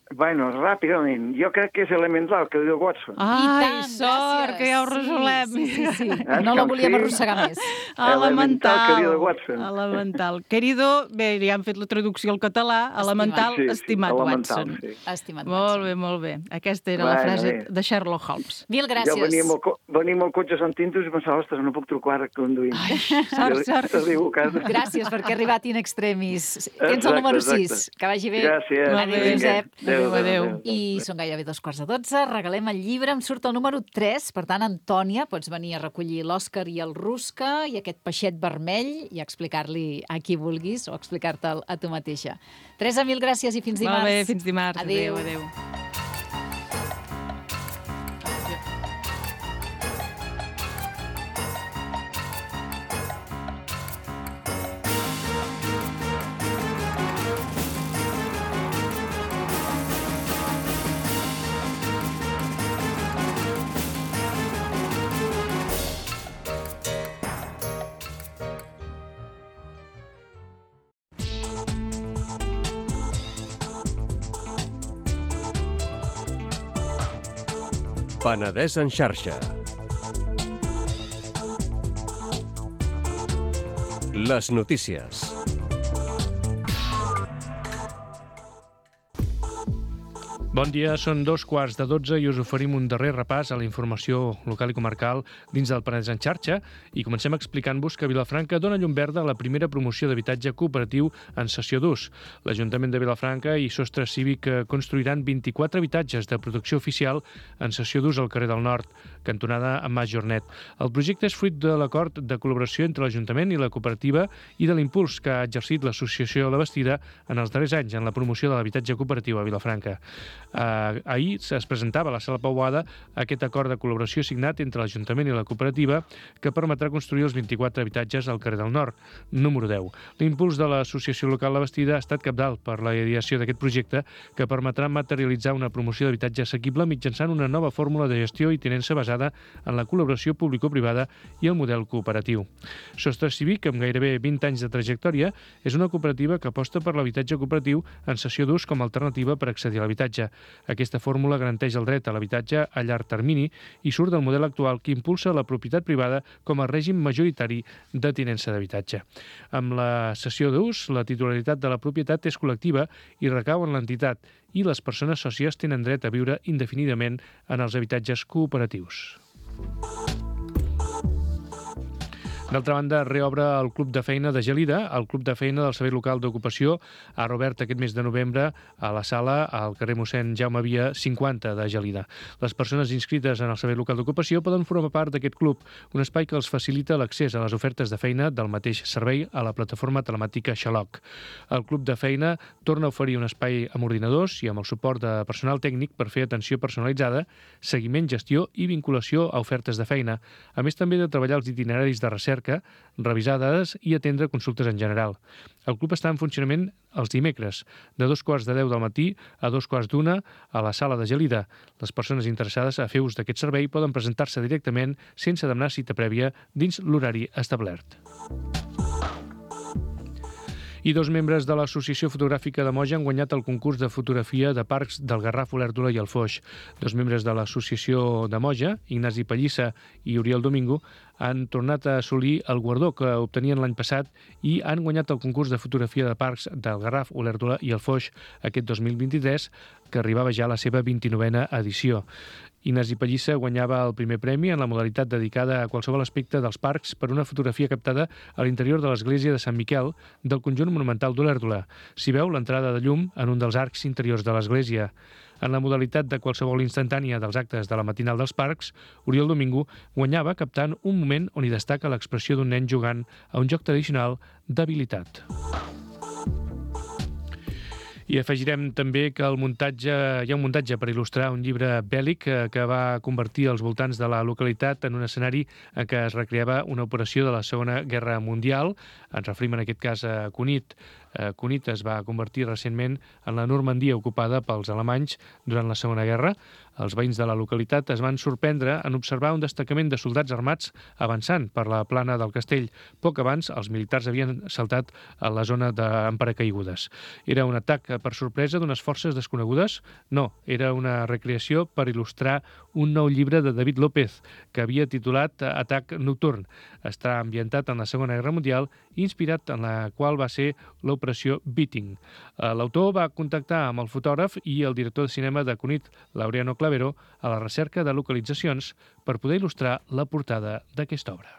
Speaker 10: Bueno, ràpidament. Jo crec que és elemental, que diu Watson.
Speaker 3: Ai,
Speaker 2: tant,
Speaker 3: sort,
Speaker 2: gràcies.
Speaker 3: que ja ho resolem.
Speaker 2: Sí, sí, sí. sí.
Speaker 10: És
Speaker 2: No la
Speaker 10: com
Speaker 2: volíem
Speaker 10: si-
Speaker 2: arrossegar més.
Speaker 3: Elemental.
Speaker 10: querido Watson.
Speaker 3: Elemental. Querido, bé, ja han fet la traducció al català. Elemental,
Speaker 10: Sí, sí,
Speaker 3: estimat
Speaker 10: elemental,
Speaker 3: Watson.
Speaker 10: sí.
Speaker 2: Estimat
Speaker 3: Molt
Speaker 2: Watson.
Speaker 3: bé, molt bé. Aquesta era la
Speaker 10: Bueno,
Speaker 3: frase
Speaker 10: bé.
Speaker 3: de Sherlock Holmes.
Speaker 2: Mil gràcies.
Speaker 10: Jo venia amb, el, co- venia amb el cotxe sentint-ho i pensava, ostres, no puc trucar ara conduint.
Speaker 3: Ai, sort, sort.
Speaker 10: T'arribo a casa.
Speaker 2: Gràcies perquè ha arribat in extremis. Tens
Speaker 10: Exacte,
Speaker 2: el número
Speaker 10: exacte.
Speaker 2: sis. Que vagi bé.
Speaker 10: Gràcies.
Speaker 2: Adéu,
Speaker 3: Vinga.
Speaker 2: Josep.
Speaker 3: Adéu, adéu.
Speaker 2: I són gairebé dos quarts de dotze. Regalem el llibre. Em surt el número tres. Per tant, Antònia, pots venir a recollir l'Òscar i el Rusca i aquest peixet vermell i explicar-li a qui vulguis o explicar-te'l a tu mateixa. Teresa, mil gràcies i fins dimarts.
Speaker 3: Molt bé, fins dimarts.
Speaker 2: Adéu.
Speaker 3: Adéu, adéu.
Speaker 11: Penedès en xarxa. Les notícies.
Speaker 12: Bon dia, són dos quarts de dotze i us oferim un darrer repàs a la informació local i comarcal dins del Penedès en xarxa i comencem explicant-vos que Vilafranca dona llum verda a la primera promoció d'habitatge cooperatiu en cessió d'ús. L'Ajuntament de Vilafranca i Sostre Cívic construiran vint-i-quatre habitatges de protecció oficial en cessió d'ús al carrer del Nord, cantonada amb Mas Jornet. El projecte és fruit de l'acord de col·laboració entre l'Ajuntament i la cooperativa i de l'impuls que ha exercit l'Associació La Bastida en els darrers anys en la promoció de l'habitatge cooperatiu a Vilafranca. Uh, ahir es presentava a la Sala Pau Boada aquest acord de col·laboració signat entre l'Ajuntament i la cooperativa que permetrà construir els vint-i-quatre habitatges al carrer del Nord, número deu. L'impuls de l'Associació Local La Bastida ha estat cabdal per la ideació d'aquest projecte que permetrà materialitzar una promoció d'habitatge assequible mitjançant una nova fórmula de gestió i tinença basada en la col·laboració público-privada i el model cooperatiu. Sostre Cívic, amb gairebé vint anys de trajectòria, és una cooperativa que aposta per l'habitatge cooperatiu en cessió d'ús com a alternativa per accedir a l'habitatge. Aquesta fórmula garanteix el dret a l'habitatge a llarg termini i surt del model actual que impulsa la propietat privada com a règim majoritari de tinença d'habitatge. Amb la cessió d'ús, la titularitat de la propietat és col·lectiva i recau en l'entitat i les persones sòcies tenen dret a viure indefinidament en els habitatges cooperatius. D'altra banda, reobre el Club de Feina de Gelida. El Club de Feina del Servei Local d'Ocupació ha reobert aquest mes de novembre a la sala al carrer mossèn Jaume Via cinquanta de Gelida. Les persones inscrites en el Servei Local d'Ocupació poden formar part d'aquest club, un espai que els facilita l'accés a les ofertes de feina del mateix servei a la plataforma telemàtica Xaloc. El Club de Feina torna a oferir un espai amb ordinadors i amb el suport de personal tècnic per fer atenció personalitzada, seguiment, gestió i vinculació a ofertes de feina, a més també de treballar els itineraris de recerca, revisar dades i atendre consultes en general. El club està en funcionament els dimecres, de dos quarts de deu del matí a dos quarts d'una a la sala de Gelida. Les persones interessades a fer ús d'aquest servei poden presentar-se directament sense demanar cita prèvia dins l'horari establert. I dos membres de l'Associació Fotogràfica de Moja han guanyat el concurs de fotografia de parcs del Garraf, Olèrdola i el Foix. Dos membres de l'Associació de Moja, Ignasi Pallissa i Oriol Domingo, han tornat a assolir el guardó que obtenien l'any passat i han guanyat el concurs de fotografia de parcs del Garraf, Olèrdola i el Foix aquest dos mil vint-i-tres, que arribava ja a la seva vint-i-novena edició. Ignasi Pallissa guanyava el primer premi en la modalitat dedicada a qualsevol aspecte dels parcs per una fotografia captada a l'interior de l'església de Sant Miquel del conjunt monumental d'Olèrdola. S'hi veu l'entrada de llum en un dels arcs interiors de l'església. En la modalitat de qualsevol instantània dels actes de la matinal dels parcs, Oriol Domingo guanyava captant un moment on hi destaca l'expressió d'un nen jugant a un joc tradicional d'habilitat. I afegirem també que el muntatge, hi ha un muntatge per il·lustrar un llibre bèl·lic que, que va convertir els voltants de la localitat en un escenari en què es recreava una operació de la Segona Guerra Mundial. Ens referim en aquest cas a Cunit. Cunit es va convertir recentment en la Normandia ocupada pels alemanys durant la Segona Guerra. Els veïns de la localitat es van sorprendre en observar un destacament de soldats armats avançant per la plana del castell. Poc abans, els militars havien saltat a la zona amb paracaigudes. Era un atac per sorpresa d'unes forces desconegudes? No, era una recreació per il·lustrar un nou llibre de David López, que havia titulat Atac nocturn. Està ambientat en la Segona Guerra Mundial i inspirat en la qual va ser l'operació Beating. L'autor va contactar amb el fotògraf i el director de cinema de Cunit, Laureano Clavero, a la recerca de localitzacions per poder il·lustrar la portada d'aquesta obra.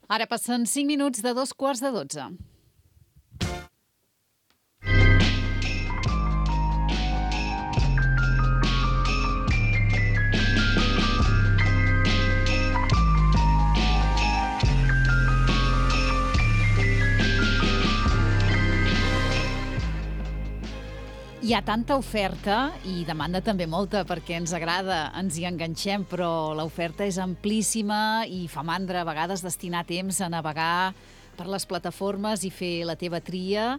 Speaker 2: Ara passen cinc minuts de dos quarts de dotze. Hi ha tanta oferta i demanda també molta perquè ens agrada, ens hi enganxem, però l'oferta és amplíssima i fa mandra a vegades destinar temps a navegar per les plataformes i fer la teva tria.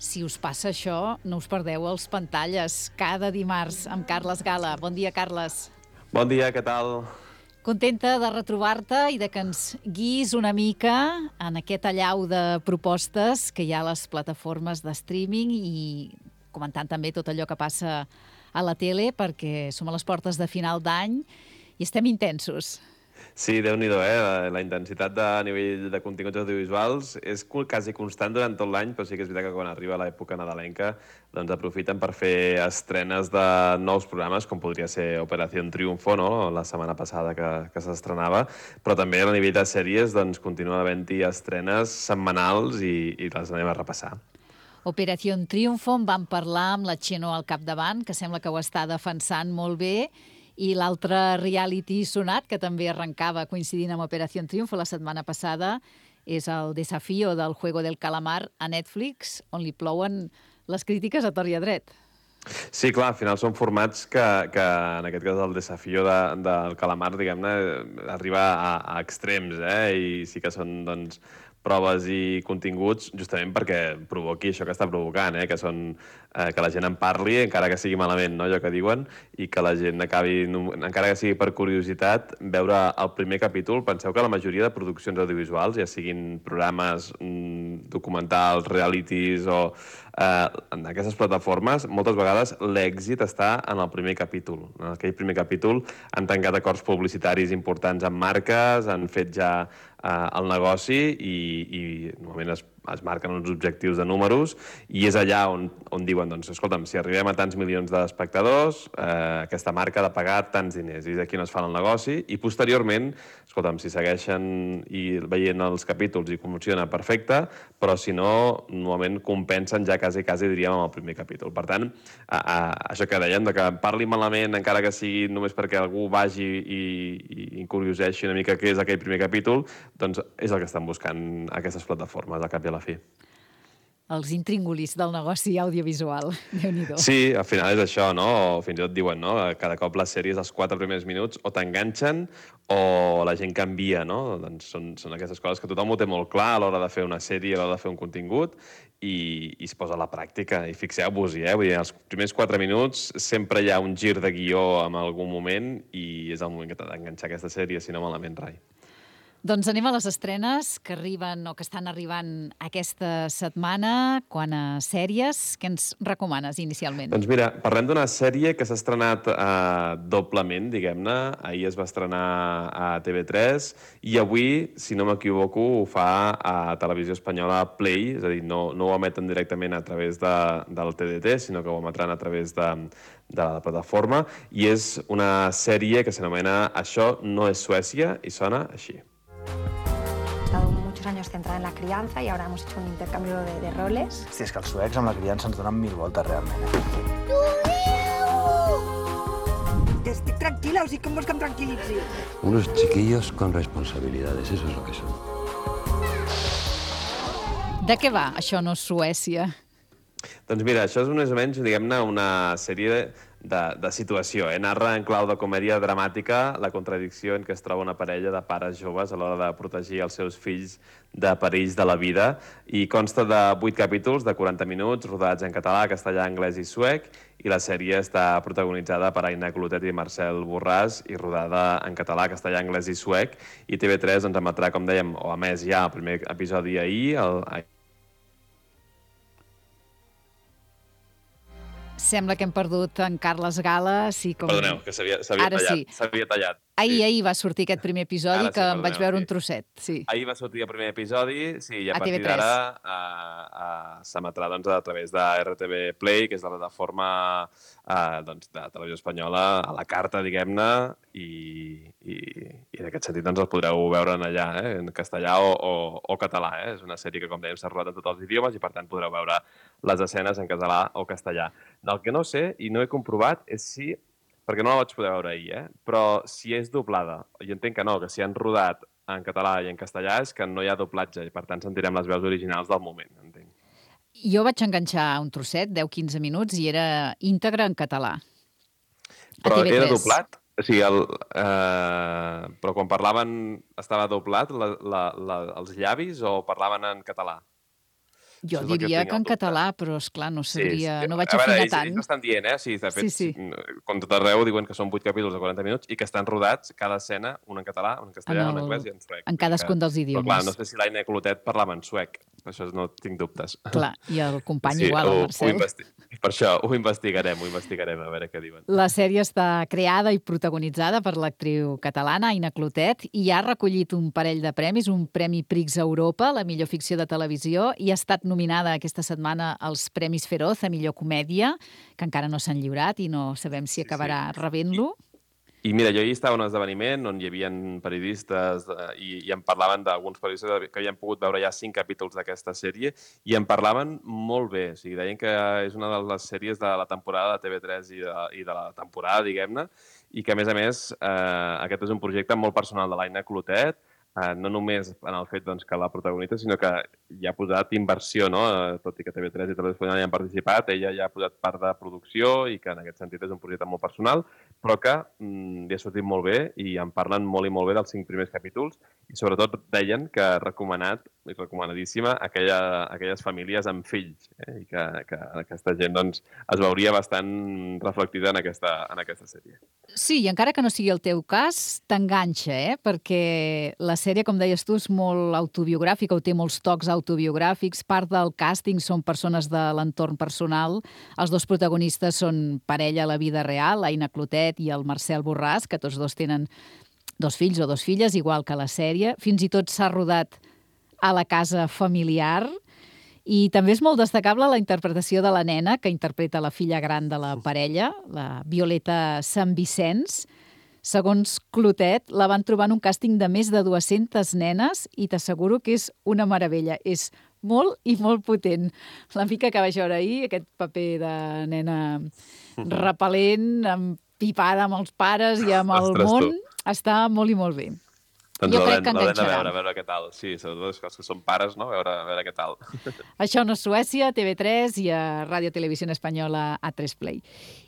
Speaker 2: Si us passa això, no us perdeu els pantalles cada dimarts amb Carles Gala. Bon dia, Carles.
Speaker 13: Bon dia, què tal?
Speaker 2: Contenta de retrobar-te i de que ens guiïs una mica en aquest allau de propostes que hi ha a les plataformes de streaming i comentant també tot allò que passa a la tele, perquè som a les portes de final d'any i estem intensos.
Speaker 13: Sí, Déu-n'hi-do, eh? La, la intensitat de nivell de continguts audiovisuals és quasi constant durant tot l'any, però sí que és veritat que quan arriba l'època nadalenca doncs aprofiten per fer estrenes de nous programes, com podria ser Operación Triunfo, no? La setmana passada que, que s'estrenava, però també a nivell de sèries doncs, continua havent-hi estrenes setmanals i, i les anem a repassar.
Speaker 2: Operación Triunfo, en vam parlar amb la Txeno al capdavant, que sembla que ho està defensant molt bé, i l'altre reality sonat, que també arrencava coincidint amb Operación Triunfo la setmana passada, és el Desafío del Juego del Calamar a Netflix, on li plouen les crítiques a tort i a dret.
Speaker 13: Sí, clar, al final són formats que, que en aquest cas el Desafío de, del Calamar, diguem-ne, arriba a, a extrems, eh? I sí que són, doncs, proves i continguts justament perquè provoqui això que està provocant, eh? Que són eh, que la gent en parli, encara que sigui malament, no? Allò que diuen, i que la gent acabi, encara que sigui per curiositat, veure el primer capítol. Penseu que la majoria de produccions audiovisuals, ja siguin programes, documentals, realities o eh, en aquestes plataformes, moltes vegades l'èxit està en el primer capítol. En aquell primer capítol han tancat acords publicitaris importants amb marques, han fet ja eh, el negoci i, i normalment es, es marquen uns objectius de números i és allà on, on diuen, doncs, escolta'm, si arribem a tants milions d'espectadors, eh, aquesta marca ha de pagar tants diners i és aquí on es fa el negoci i posteriorment, escolta'm, si segueixen i veient els capítols i funciona perfecte, però si no, normalment compensen ja quasi, quasi diríem, amb el primer capítol. Per tant, a, a, això que dèiem, de que parli malament encara que sigui només perquè algú vagi i, i, i curioseixi una mica què és aquell primer capítol, doncs és el que estan buscant aquestes plataformes, al cap i a la fi.
Speaker 2: Els intríngulis del negoci audiovisual. Déu-n'hi-do.
Speaker 13: Sí, al final és això, no? O fins i tot diuen, no? Cada cop les sèries, els quatre primers minuts, o t'enganxen o la gent canvia, no? Doncs són, són aquestes coses que tothom ho té molt clar a l'hora de fer una sèrie, a l'hora de fer un contingut, i, i es posa a la pràctica. I fixeu-vos-hi, eh? Vull dir, els primers quatre minuts sempre hi ha un gir de guió en algun moment i és el moment que t'ha d'enganxar aquesta sèrie, si no malament rai.
Speaker 2: Doncs anem a les estrenes que arriben o que estan arribant aquesta setmana. Quant a sèries, què ens recomanes inicialment?
Speaker 13: Doncs mira, parlem d'una sèrie que s'ha estrenat eh, doblement, diguem-ne. Ahir es va estrenar a T V tres i avui, si no m'equivoco, ho fa a Televisió Espanyola Play, és a dir, no, no ho emeten directament a través de, del T D T, sinó que ho emetran a través de, de la plataforma, i és una sèrie que s'anomena Això no és Suècia i sona així.
Speaker 14: He estado muchos años centrada en la crianza y ahora hemos hecho un intercambio de, de roles.
Speaker 15: Hosti, és que els suecs amb la criança ens donen mil voltes, realment.
Speaker 14: Que estic tranquila, o sigui, com vols que em tranquil·litzi?
Speaker 16: Unos chiquillos con responsabilidades, eso es lo que son.
Speaker 2: De què va Això no és Suècia?
Speaker 13: Doncs mira, això és més o menys, diguem-ne, una sèrie de, de situació. Eh? Narra en clau de comèdia dramàtica la contradicció en què es troba una parella de pares joves a l'hora de protegir els seus fills de perills de la vida. I consta de vuit capítols de quaranta minuts, rodats en català, castellà, anglès i suec, i la sèrie està protagonitzada per Aina Clotet i Marcel Borràs i rodada en català, castellà, anglès i suec. I T V tres ens emetrà, com dèiem, o a més ja el primer episodi ahir, el
Speaker 2: Sembla que hem perdut en Carles Gala. Sí, com...
Speaker 13: Perdoneu, que s'havia tallat.
Speaker 2: Sí.
Speaker 13: S'havia tallat.
Speaker 2: Ahir,
Speaker 13: sí.
Speaker 2: ahir va sortir aquest primer episodi,
Speaker 13: Ara sí,
Speaker 2: que em
Speaker 13: perdoneu,
Speaker 2: vaig veure
Speaker 13: sí.
Speaker 2: un trosset. Sí.
Speaker 13: Ahir va sortir el primer episodi, sí, i a,
Speaker 2: A
Speaker 13: partir
Speaker 2: T V tres.
Speaker 13: d'ara uh, uh, s'emetrà doncs, a través de R T V Play, que és la plataforma uh, doncs, de Televisió Espanyola, a la carta, diguem-ne, i, i, i en aquest sentit doncs, el podreu veure en allà, eh, en castellà o, o, o català. Eh? És una sèrie que, com dèiem, s'ha rodat en tots els idiomes i, per tant, podreu veure les escenes en català o castellà. Del que no sé, i no he comprovat, és si perquè no la vaig poder veure ahir, eh? Però si és doblada, i entenc que no, que si han rodat en català i en castellà és que no hi ha doblatge i per tant sentirem les veus originals del moment, entenc.
Speaker 2: Jo vaig enganxar un trosset, deu a quinze minuts, i era íntegre en català.
Speaker 13: Però era doblat? O sigui, el, eh, però quan parlaven estava doblat la, la, la, els llavis o parlaven en català?
Speaker 2: Jo diria que, que en català, però, esclar, no sabria...
Speaker 13: Sí, sí.
Speaker 2: No vaig
Speaker 13: a veure,
Speaker 2: afinar
Speaker 13: ells,
Speaker 2: tant.
Speaker 13: Ells estan dient, eh? Sí, de fet,
Speaker 2: sí, sí.
Speaker 13: Com tot arreu, diuen que són vuit capítols de quaranta minuts i que estan rodats, cada escena, un en català, un en castellà,
Speaker 2: en el...
Speaker 13: un en anglès i en suec.
Speaker 2: En cadascun dels idiomes.
Speaker 13: Però, clar, no sé si l'Aina Clotet parlava en suec. Això no tinc dubtes.
Speaker 2: Clar, i el company
Speaker 13: sí,
Speaker 2: igual, el Marcel.
Speaker 13: Ho, Per això ho investigarem, ho investigarem, a veure què diuen.
Speaker 2: La sèrie està creada i protagonitzada per l'actriu catalana Aina Clotet i ha recollit un parell de premis, un Premi Prix Europa, la millor ficció de televisió, i ha estat nominada aquesta setmana als Premis Feroz a millor comèdia, que encara no s'han lliurat i no sabem si acabarà sí, sí. rebent-lo.
Speaker 13: I mira, jo hi estava en un esdeveniment on hi havia periodistes eh, i, i em parlaven d'alguns periodistes que havien pogut veure ja cinc capítols d'aquesta sèrie i em parlaven molt bé. O sigui, deien que és una de les sèries de la temporada de T V tres i de, i de la temporada, diguem-ne, i que, a més a més, eh, aquest és un projecte molt personal de l'Aina Clotet, eh, no només en el fet doncs, que la protagonista, sinó que hi ha posat inversió, no? Tot i que T V tres i Televisió Espanyola hi han participat, ella ja ha posat part de producció i que en aquest sentit és un projecte molt personal, però que mm, li ha sortit molt bé i en parlen molt i molt bé dels cinc primers capítols i sobretot deien que ha recomanat, i recomanadíssima, aquella, aquelles famílies amb fills eh? I que, que aquesta gent doncs, es veuria bastant reflectida en aquesta, en aquesta sèrie.
Speaker 2: Sí, i encara que no sigui el teu cas, t'enganxa, eh? Perquè la sèrie, com deies tu, és molt autobiogràfica, o té molts tocs autobiogràfics, part del càsting són persones de l'entorn personal, els dos protagonistes són parella a la vida real, l'Aina Clotet i el Marcel Borràs, que tots dos tenen dos fills o dos filles, igual que la sèrie. Fins i tot s'ha rodat a la casa familiar i també és molt destacable la interpretació de la nena que interpreta la filla gran de la parella, la Violeta Sant Vicenç. Segons Clotet, la van trobar en un càsting de més de dues-centes nenes i t'asseguro que és una meravella. És molt i molt potent. La mica que vaig veure ahir, aquest paper de nena repel·lent, pipada amb els pares i amb el
Speaker 13: Ostres,
Speaker 2: món,
Speaker 13: tu.
Speaker 2: està molt i molt bé.
Speaker 13: Doncs
Speaker 2: jo crec que
Speaker 13: l'haurem de
Speaker 2: enganxarà.
Speaker 13: veure, a veure què tal. Sí, sobretot els que són pares, no? A veure, a veure què tal.
Speaker 2: Això no és Suècia, T V tres i a Ràdio Televisió Espanyola A tres Play.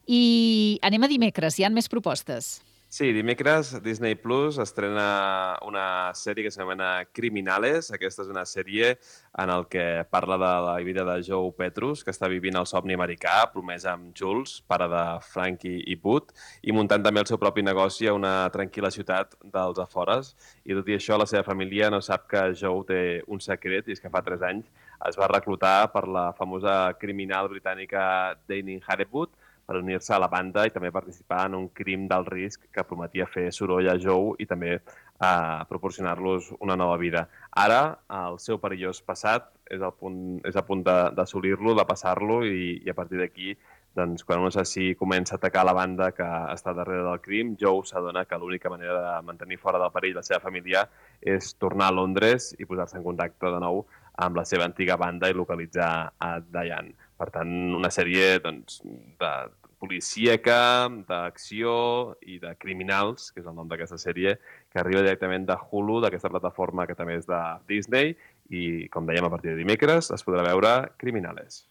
Speaker 2: I anem a dimecres, hi ha més propostes.
Speaker 13: Sí, dimecres Disney Plus estrena una sèrie que s'anomena Criminales. Aquesta és una sèrie en el que parla de la vida de Joe Petrus, que està vivint el somni americà, promès amb Jules, pare de Frankie i Put, i muntant també el seu propi negoci a una tranquil·la ciutat dels afores. I tot i això, la seva família no sap que Joe té un secret, i és que fa tres anys es va reclutar per la famosa criminal britànica Dani Harewood, per unir-se a la banda i també participar en un crim d'alt risc que prometia fer soroll a Joe i també eh, proporcionar-los una nova vida. Ara, el seu perillós passat és, al punt, és a punt d'assolir-lo, de, de passar-lo, i, i a partir d'aquí, doncs, quan un assassí comença a atacar la banda que està darrere del crim, Joe s'adona que l'única manera de mantenir fora del perill la seva família és tornar a Londres i posar-se en contacte de nou amb la seva antiga banda i localitzar a Diane. Per tant, una sèrie doncs, de policíaca, d'acció i de criminals, que és el nom d'aquesta sèrie, que arriba directament de Hulu, d'aquesta plataforma que també és de Disney, i, com dèiem, a partir de dimecres es podrà veure Criminales.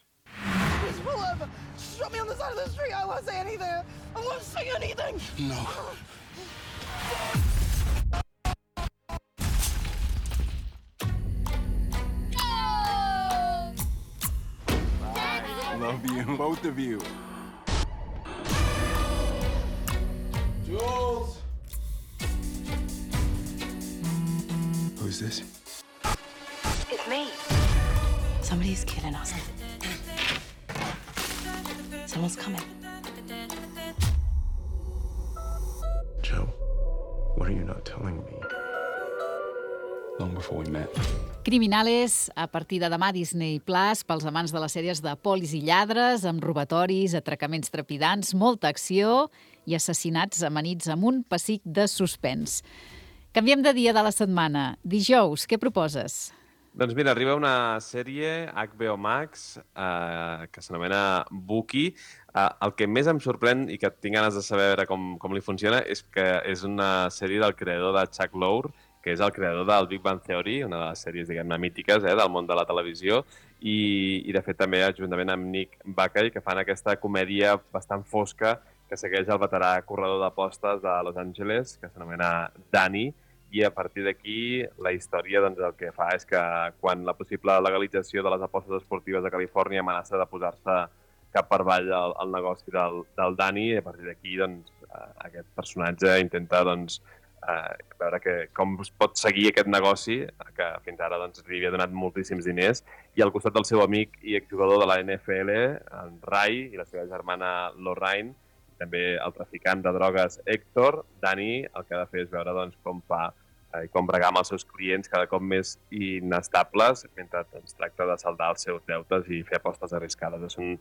Speaker 17: Shut me on the side of the street. I won't say anything. I won't say anything. No.
Speaker 18: Love you, both of you. Jules! Who's this?
Speaker 14: It's me. Somebody's killing us. Someone's coming.
Speaker 18: Joe, what are you not telling me? Long before we met.
Speaker 2: Criminales, a partir de demà Disney Plus, pels amants de les sèries de polis i lladres, amb robatoris, atracaments trepidants, molta acció i assassinats amanits amb un pessic de suspens. Canviem de dia de la setmana. Dijous, què proposes?
Speaker 13: Doncs mira, arriba una sèrie H B O Max eh, que s'anomena Bookie. Eh, el que més em sorprèn i que tinc ganes de saber com, com li funciona és que és una sèrie del creador de Chuck Lorre, que és el creador del Big Bang Theory, una de les sèries, diguem-ne, mítiques eh, del món de la televisió, i, i de fet també juntament amb Nick Bakay, que fan aquesta comèdia bastant fosca que segueix el veterà corredor d'apostes de Los Angeles, que s'anomena Danny, i a partir d'aquí la història doncs, el que fa és que quan la possible legalització de les apostes esportives a Califòrnia amenaça de posar-se cap per avall el, el negoci del, del Danny, i a partir d'aquí doncs, aquest personatge intenta doncs, eh, veure que, com es pot seguir aquest negoci, que fins ara doncs, li havia donat moltíssims diners, i al costat del seu amic i exjugador de la N F L, en Ray, i la seva germana Lorraine, també el traficant de drogues Héctor, Dani, el que ha de fer és veure doncs, com fa i eh, com bregar amb els seus clients cada cop més inestables mentre doncs, tracta de saldar els seus deutes i fer apostes arriscades. És, un,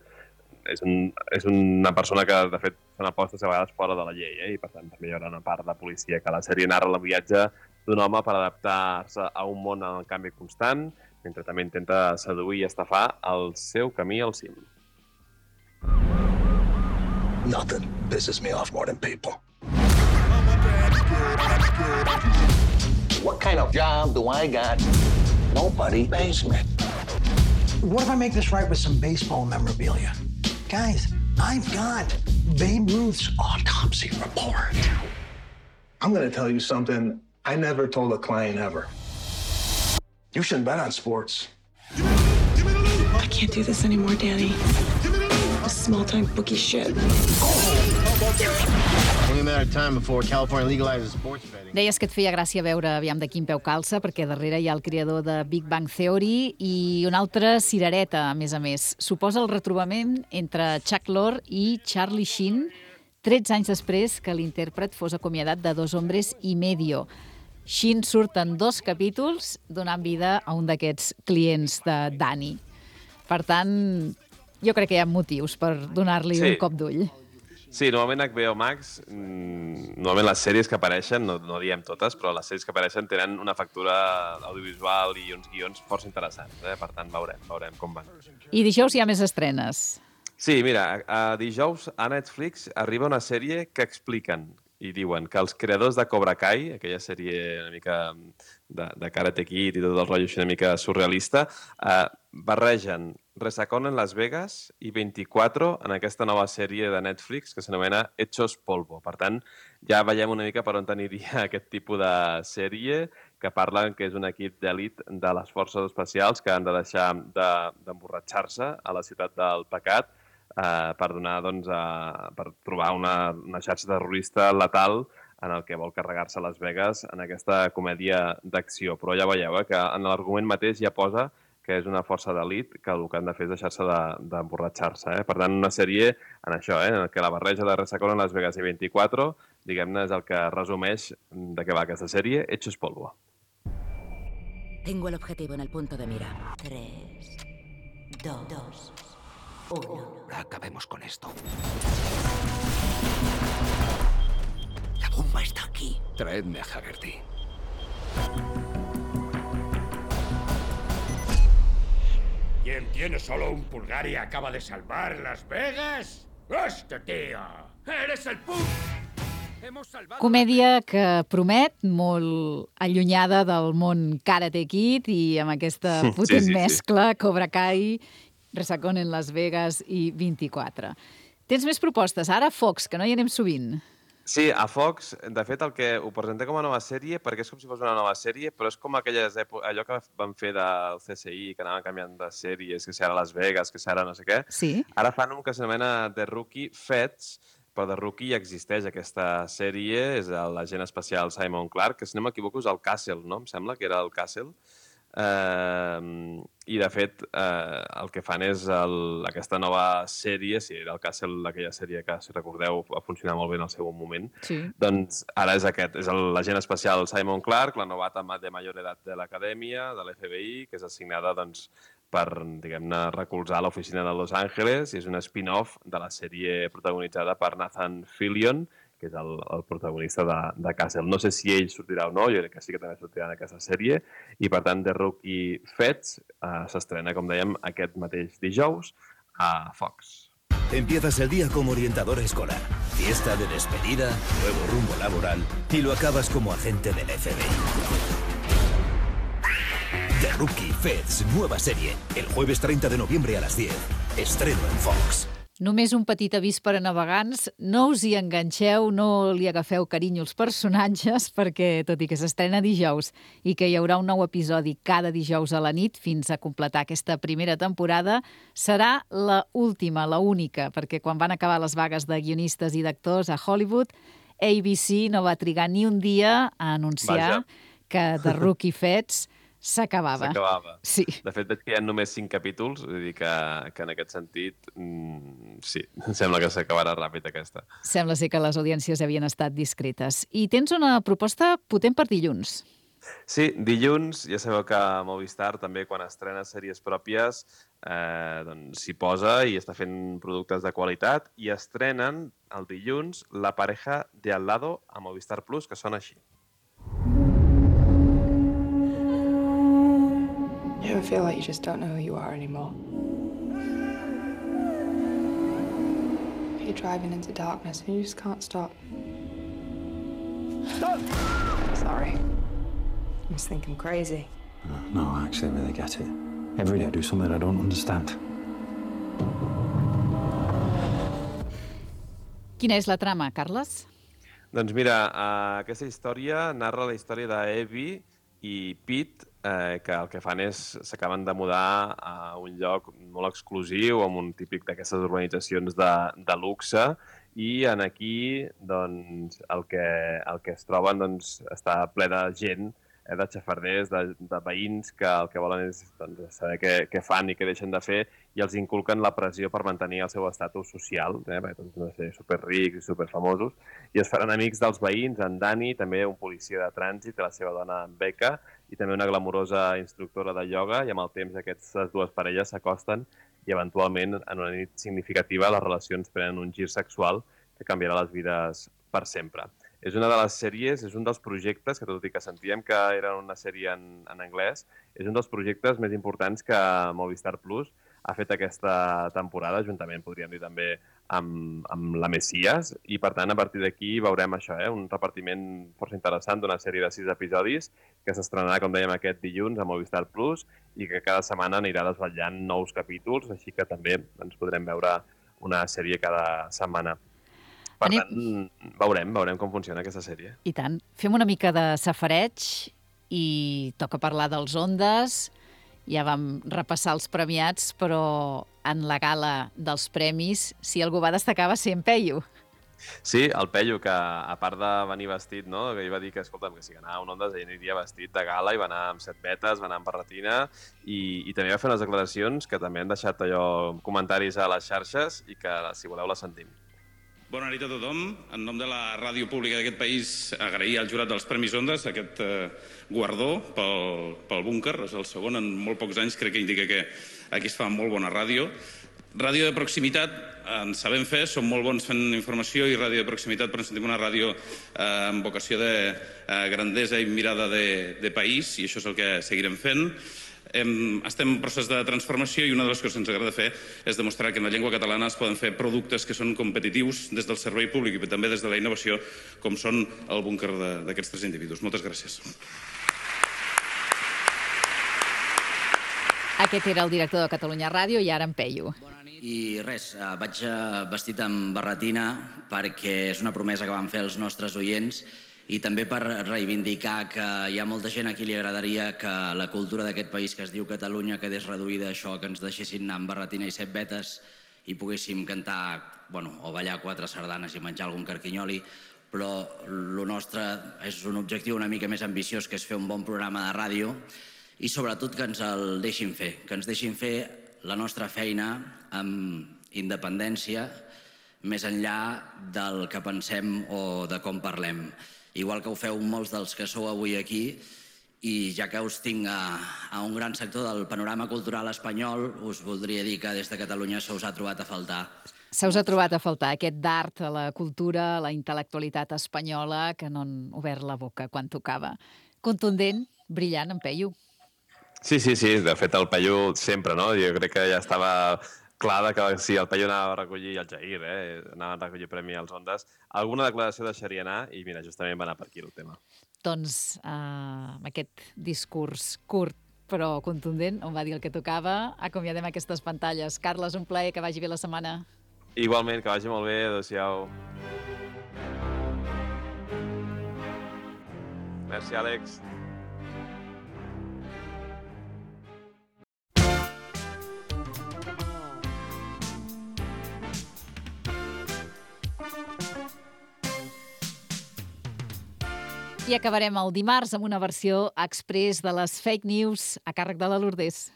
Speaker 13: és, un, és una persona que, de fet, fan apostes a vegades fora de la llei, eh? I per tant també hi haurà una part de policia que la sèrie narra el viatge d'un home per adaptar-se a un món en canvi constant, mentre també intenta seduir i estafar el seu camí al cim.
Speaker 19: Nothing pisses me off more than people. What kind of job do I got? Nobody pays me.
Speaker 20: What if I make this right with some baseball memorabilia? Guys, I've got Babe Ruth's autopsy report.
Speaker 19: I'm going to tell you something I never told a client ever. You shouldn't bet on sports.
Speaker 21: I can't do this anymore, Danny. This small-time bookie shit.
Speaker 22: Only a matter of time before California legalizes sports betting.
Speaker 2: Deies que et feia gràcia veure aviam de quin peu calça, perquè darrere hi ha el creador de Big Bang Theory i una altra cirereta, a més a més. Suposa el retrobament entre Chuck Lorre i Charlie Sheen, tretze anys després que l'intèrpret fos acomiadat de Dos hombres y medio. Sheen surt en dos capítols donant vida a un d'aquests clients de Danny. Per tant, jo crec que hi ha motius per donar-li sí. un cop d'ull.
Speaker 13: Sí, normalment H B O Max, mmm, normalment les sèries que apareixen, no, no diem totes, però les sèries que apareixen tenen una factura audiovisual i uns guions força interessants, eh? Per tant, veurem, veurem com van.
Speaker 2: I dijous hi ha més estrenes.
Speaker 13: Sí, mira, a dijous a Netflix arriba una sèrie que expliquen i diuen que els creadors de Cobra Kai, aquella sèrie una mica de, de Karate Kid i tot el rotllo així una mica surrealista, eh, barregen Resacón en Las Vegas i vint-i-quatre en aquesta nova sèrie de Netflix que s'anomena Hechos Polvo. Per tant, ja veiem una mica per on aniria aquest tipus de sèrie que parlen que és un equip d'elit de les forces especials que han de deixar d'emborratxar-se de, a la ciutat del pecat eh, per donar, doncs, a, per trobar una, una xarxa terrorista letal en el que vol carregar-se Las Vegas en aquesta comèdia d'acció. Però ja veieu eh, que en l'argument mateix ja posa que és una força d'elit que el que han de fer és deixar-se d'emborratxar-se. Eh? Per tant, una sèrie en això, eh? en què la barreja de Resacón en Las Vegas i vint-i-quatre, diguem-ne, és el que resumeix de què va aquesta sèrie, Hechos Polvo.
Speaker 23: Tengo el objetivo en el punto de mira. Tres, dos, uno.
Speaker 24: Acabemos con esto.
Speaker 23: La bomba está aquí.
Speaker 24: Traedme a Haggerty.
Speaker 25: ¿Quién tiene solo un pulgar y acaba de salvar Las Vegas? ¡Este tío! ¡Eres el punt!
Speaker 2: Comèdia que promet, molt allunyada del món Karate Kid i amb aquesta potent sí, sí, mescla sí. Cobra Kai, Resacón en Las Vegas i vint-i-quatre. Tens més propostes. Ara Fox, que no hi anem sovint.
Speaker 13: Sí, a Fox, de fet, el que ho presentem com a nova sèrie, perquè és com si fos una nova sèrie, però és com aquelles èpoques, allò que van fer del C S I, que anaven canviant de sèries, que si ara Las Vegas, que si ara no sé què.
Speaker 2: Sí.
Speaker 13: Ara fan un que s'anomena The Rookie Feds, però The Rookie ja existeix aquesta sèrie, és l'agent especial Simon Clark, que si no m'equivoco és el Castle, no? Em sembla que era el Castle. Uh, i de fet uh, el que fan és el, aquesta nova sèrie, si era el Castle, aquella sèrie que, si recordeu, va funcionar molt bé en el seu moment,
Speaker 2: sí.
Speaker 13: Doncs ara és aquest, és l'agent especial Simon Clark, la novata de major edat de l'acadèmia, de l'F B I, que és assignada doncs, per, diguem-ne, recolzar l'oficina de Los Angeles, i és un spin-off de la sèrie protagonitzada per Nathan Fillion, que és el, el protagonista de, de Castle. No sé si ell sortirà o no, jo crec que sí que també sortirà en aquesta sèrie, i per tant The Rookie Feds eh, s'estrena, com dèiem, aquest mateix dijous a Fox.
Speaker 26: Empiezas el día como orientador escolar, fiesta de despedida, nuevo rumbo laboral y lo acabas como agente del F B I. The Rookie Feds, nueva serie, el jueves treinta de noviembre a las diez. Estreno en Fox.
Speaker 2: Només un petit avís per a navegants, no us hi enganxeu, no li agafeu carinyo als personatges, perquè, tot i que s'estrena dijous i que hi haurà un nou episodi cada dijous a la nit fins a completar aquesta primera temporada, serà la última, la única, perquè quan van acabar les vagues de guionistes i d'actors a Hollywood, A B C no va trigar ni un dia a anunciar
Speaker 13: Vaja.
Speaker 2: que The Rookie Feds s'acabava.
Speaker 13: S'acabava.
Speaker 2: Sí.
Speaker 13: De fet, veig que hi ha només cinc capítols, vull dir que, que en aquest sentit, mm, sí, sembla que s'acabarà ràpid aquesta.
Speaker 2: Sembla ser que les audiències havien estat discretes. I tens una proposta potent per dilluns.
Speaker 13: Sí, dilluns, ja sabeu que Movistar també quan estrena sèries pròpies eh, doncs s'hi posa i està fent productes de qualitat i estrenen el dilluns La pareja de al lado a Movistar Plus, que sona així.
Speaker 1: You ever feel like you just don't know who you are anymore? You're driving into darkness and you just can't stop. Stop! Sorry. I just think I'm crazy.
Speaker 15: No, no, actually, I really get it. Every day I do something I don't understand.
Speaker 2: Quina és la trama, Carles?
Speaker 13: Doncs mira, uh, aquesta història narra la història d'Evie i Pete, eh, que el que fan és s'acaben de mudar a un lloc molt exclusiu, amb un típic d'aquestes urbanitzacions de, de luxe, i en aquí doncs, el, que, el que es troben doncs, està ple de gent, eh, de xafarders, de, de veïns que el que volen és doncs, saber què, què fan i què deixen de fer i els inculquen la pressió per mantenir el seu estatus social, eh, perquè tots han de ser superrics i superfamosos, i es faran amics dels veïns, en Dani, també un policia de trànsit, i la seva dona en Becca, i també una glamurosa instructora de ioga, i amb el temps aquestes dues parelles s'acosten i eventualment en una nit significativa les relacions prenen un gir sexual que canviarà les vides per sempre. És una de les sèries, és un dels projectes, que tot i que sentíem que era una sèrie en, en anglès, és un dels projectes més importants que Movistar Plus ha fet aquesta temporada, juntament, podríem dir també, amb, amb la Messias, i per tant, a partir d'aquí veurem això, eh? un repartiment força interessant d'una sèrie de sis episodis que s'estrenarà, com dèiem, aquest dilluns a Movistar Plus i que cada setmana anirà desvetllant nous capítols, així que també ens podrem veure una sèrie cada setmana. Per
Speaker 2: Anem...
Speaker 13: tant, veurem, veurem com funciona aquesta sèrie.
Speaker 2: I tant. Fem una mica de safareig i toca parlar dels Ondes. Ja vam repassar els premiats, però en la gala dels premis, si algú va destacar, va ser en Peyu.
Speaker 13: Sí, el Peyu, que a part de venir vestit, no? Que ell va dir que, escolta'm, que si anava a un Ondes ell aniria vestit de gala i va anar amb set vetes, va anar amb barretina i, i també va fer unes declaracions que també han deixat allò comentaris a les xarxes i que, si voleu, les sentim.
Speaker 4: Bona nit a tothom. En nom de la ràdio pública d'aquest país, agrair al jurat dels Premis Ondes aquest eh, guardó pel, pel búnquer. És el segon en molt pocs anys, crec que indica que aquí es fa molt bona ràdio. Ràdio de proximitat, en sabem fer, som molt bons fent informació i ràdio de proximitat, però ens sentim una ràdio eh, amb vocació de eh, grandesa i mirada de, de país, i això és el que seguirem fent. Hem, estem en procés de transformació i una de les coses que ens agrada fer és demostrar que en la llengua catalana es poden fer productes que són competitius des del servei públic i també des de la innovació, com són el búnquer d'aquests tres individus. Moltes gràcies.
Speaker 2: Aquest era el director de Catalunya Ràdio i ara en Peyu.
Speaker 5: I res, vaig vestit amb barretina perquè és una promesa que vam fer als nostres oients i també per reivindicar que hi ha molta gent a qui li agradaria que la cultura d'aquest país que es diu Catalunya quedés reduïda a això, que ens deixessin anar amb barretina i set vetes i poguéssim cantar, bueno, o ballar quatre sardanes i menjar algun carquinyoli, però el nostre és un objectiu una mica més ambiciós, que és fer un bon programa de ràdio i sobretot que ens el deixin fer, que ens deixin fer la nostra feina amb independència més enllà del que pensem o de com parlem. Igual que ho feu molts dels que sou avui aquí, i ja que us tinc a, a un gran sector del panorama cultural espanyol, us voldria dir que des de Catalunya se us ha trobat a faltar.
Speaker 2: Se us ha trobat a faltar aquest d'art, la cultura, la intel·lectualitat espanyola, que no han obert la boca quan tocava. Contundent, brillant, en Peyu.
Speaker 13: Sí, sí, sí, de fet el Peyu sempre, no? Jo crec que ja estava clar que si el Peyu anava a recollir el Jair, eh? Anava a recollir premi als Ondes, alguna declaració deixaria anar i mira, justament va anar per aquí el tema.
Speaker 2: Doncs eh, amb aquest discurs curt però contundent, on va dir el que tocava, acomiadem aquestes pantalles. Carles, un plaer, que vagi bé la setmana.
Speaker 13: Igualment, que vagi molt bé, adéu-siau. Merci, Àlex.
Speaker 2: I acabarem el dimarts amb una versió express de les fake news a càrrec de la Lourdes.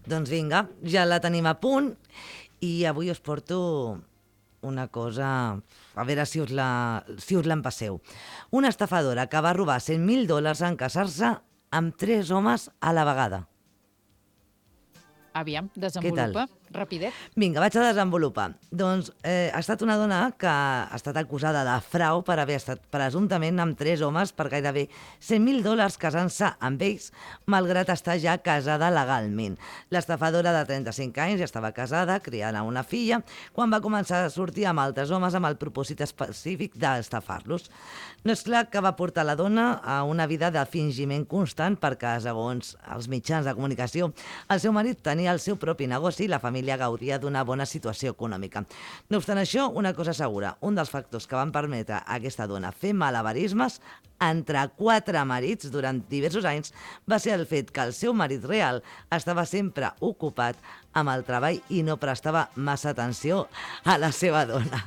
Speaker 3: Doncs vinga, ja la tenim a punt i avui us porto una cosa, a veure si us la, si us l'empasseu. Una estafadora que va robar cent mil dòlars en casar-se amb tres homes a la vegada.
Speaker 2: Aviam, desenvolupa. Rapidet.
Speaker 3: Vinga, vaig a desenvolupar. Doncs eh, ha estat una dona que ha estat acusada de frau per haver estat presumptament amb tres homes per gairebé cent mil dòlars casant-se amb ells, malgrat estar ja casada legalment. L'estafadora de trenta-cinc anys ja estava casada, criant a una filla, quan va començar a sortir amb altres homes amb el propòsit específic d'estafar-los. No és clar que va portar la dona a una vida de fingiment constant perquè, segons els mitjans de comunicació, el seu marit tenia el seu propi negoci i la família gaudia d'una bona situació econòmica. No obstant això, una cosa segura, un dels factors que van permetre a aquesta dona fer malabarismes entre quatre marits durant diversos anys va ser el fet que el seu marit real estava sempre ocupat amb el treball i no prestava massa atenció a la seva dona.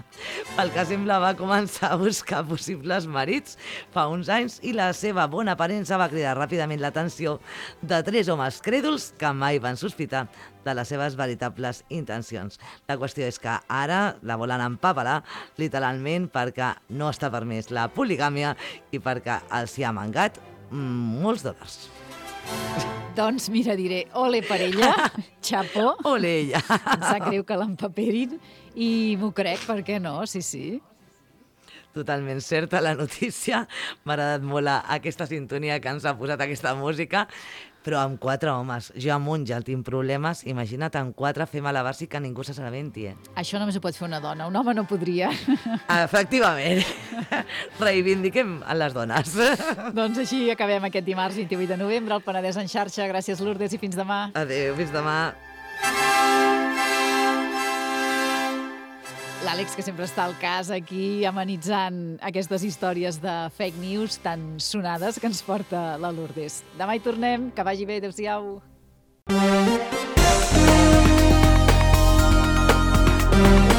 Speaker 3: Pel que sembla, va començar a buscar possibles marits fa uns anys i la seva bona aparença va cridar ràpidament l'atenció de tres homes crèduls que mai van sospitar de les seves veritables intencions. La qüestió és que ara la volen empapelar, literalment, perquè no està permès la poligàmia i perquè els hi ha mangat mm, molts dòlars.
Speaker 2: Doncs mira, diré, ole per ella, xapó.
Speaker 3: Ole ella.
Speaker 2: Em sap greu que l'empaperin i m'ho crec, per què no? Sí, sí.
Speaker 3: Totalment certa la notícia. M'ha agradat molt aquesta sintonia que ens ha posat aquesta música, però amb quatre homes. Jo amb un ja tinc problemes, imagina't amb quatre fer malabars i que ningú se n'assabenti, eh?
Speaker 2: Això només ho pot fer una dona, un home no podria.
Speaker 3: Efectivament. Reivindiquem a les dones.
Speaker 2: Doncs així acabem aquest dimarts vint-i-vuit de novembre, al Penedès en xarxa. Gràcies, Lourdes, i fins demà.
Speaker 3: Adéu, fins demà.
Speaker 2: L'Àlex, que sempre està al cas aquí amenitzant aquestes històries de fake news tan sonades que ens porta la Lourdes. Demà hi tornem, que vagi bé, adéu-siau.
Speaker 6: Thank you.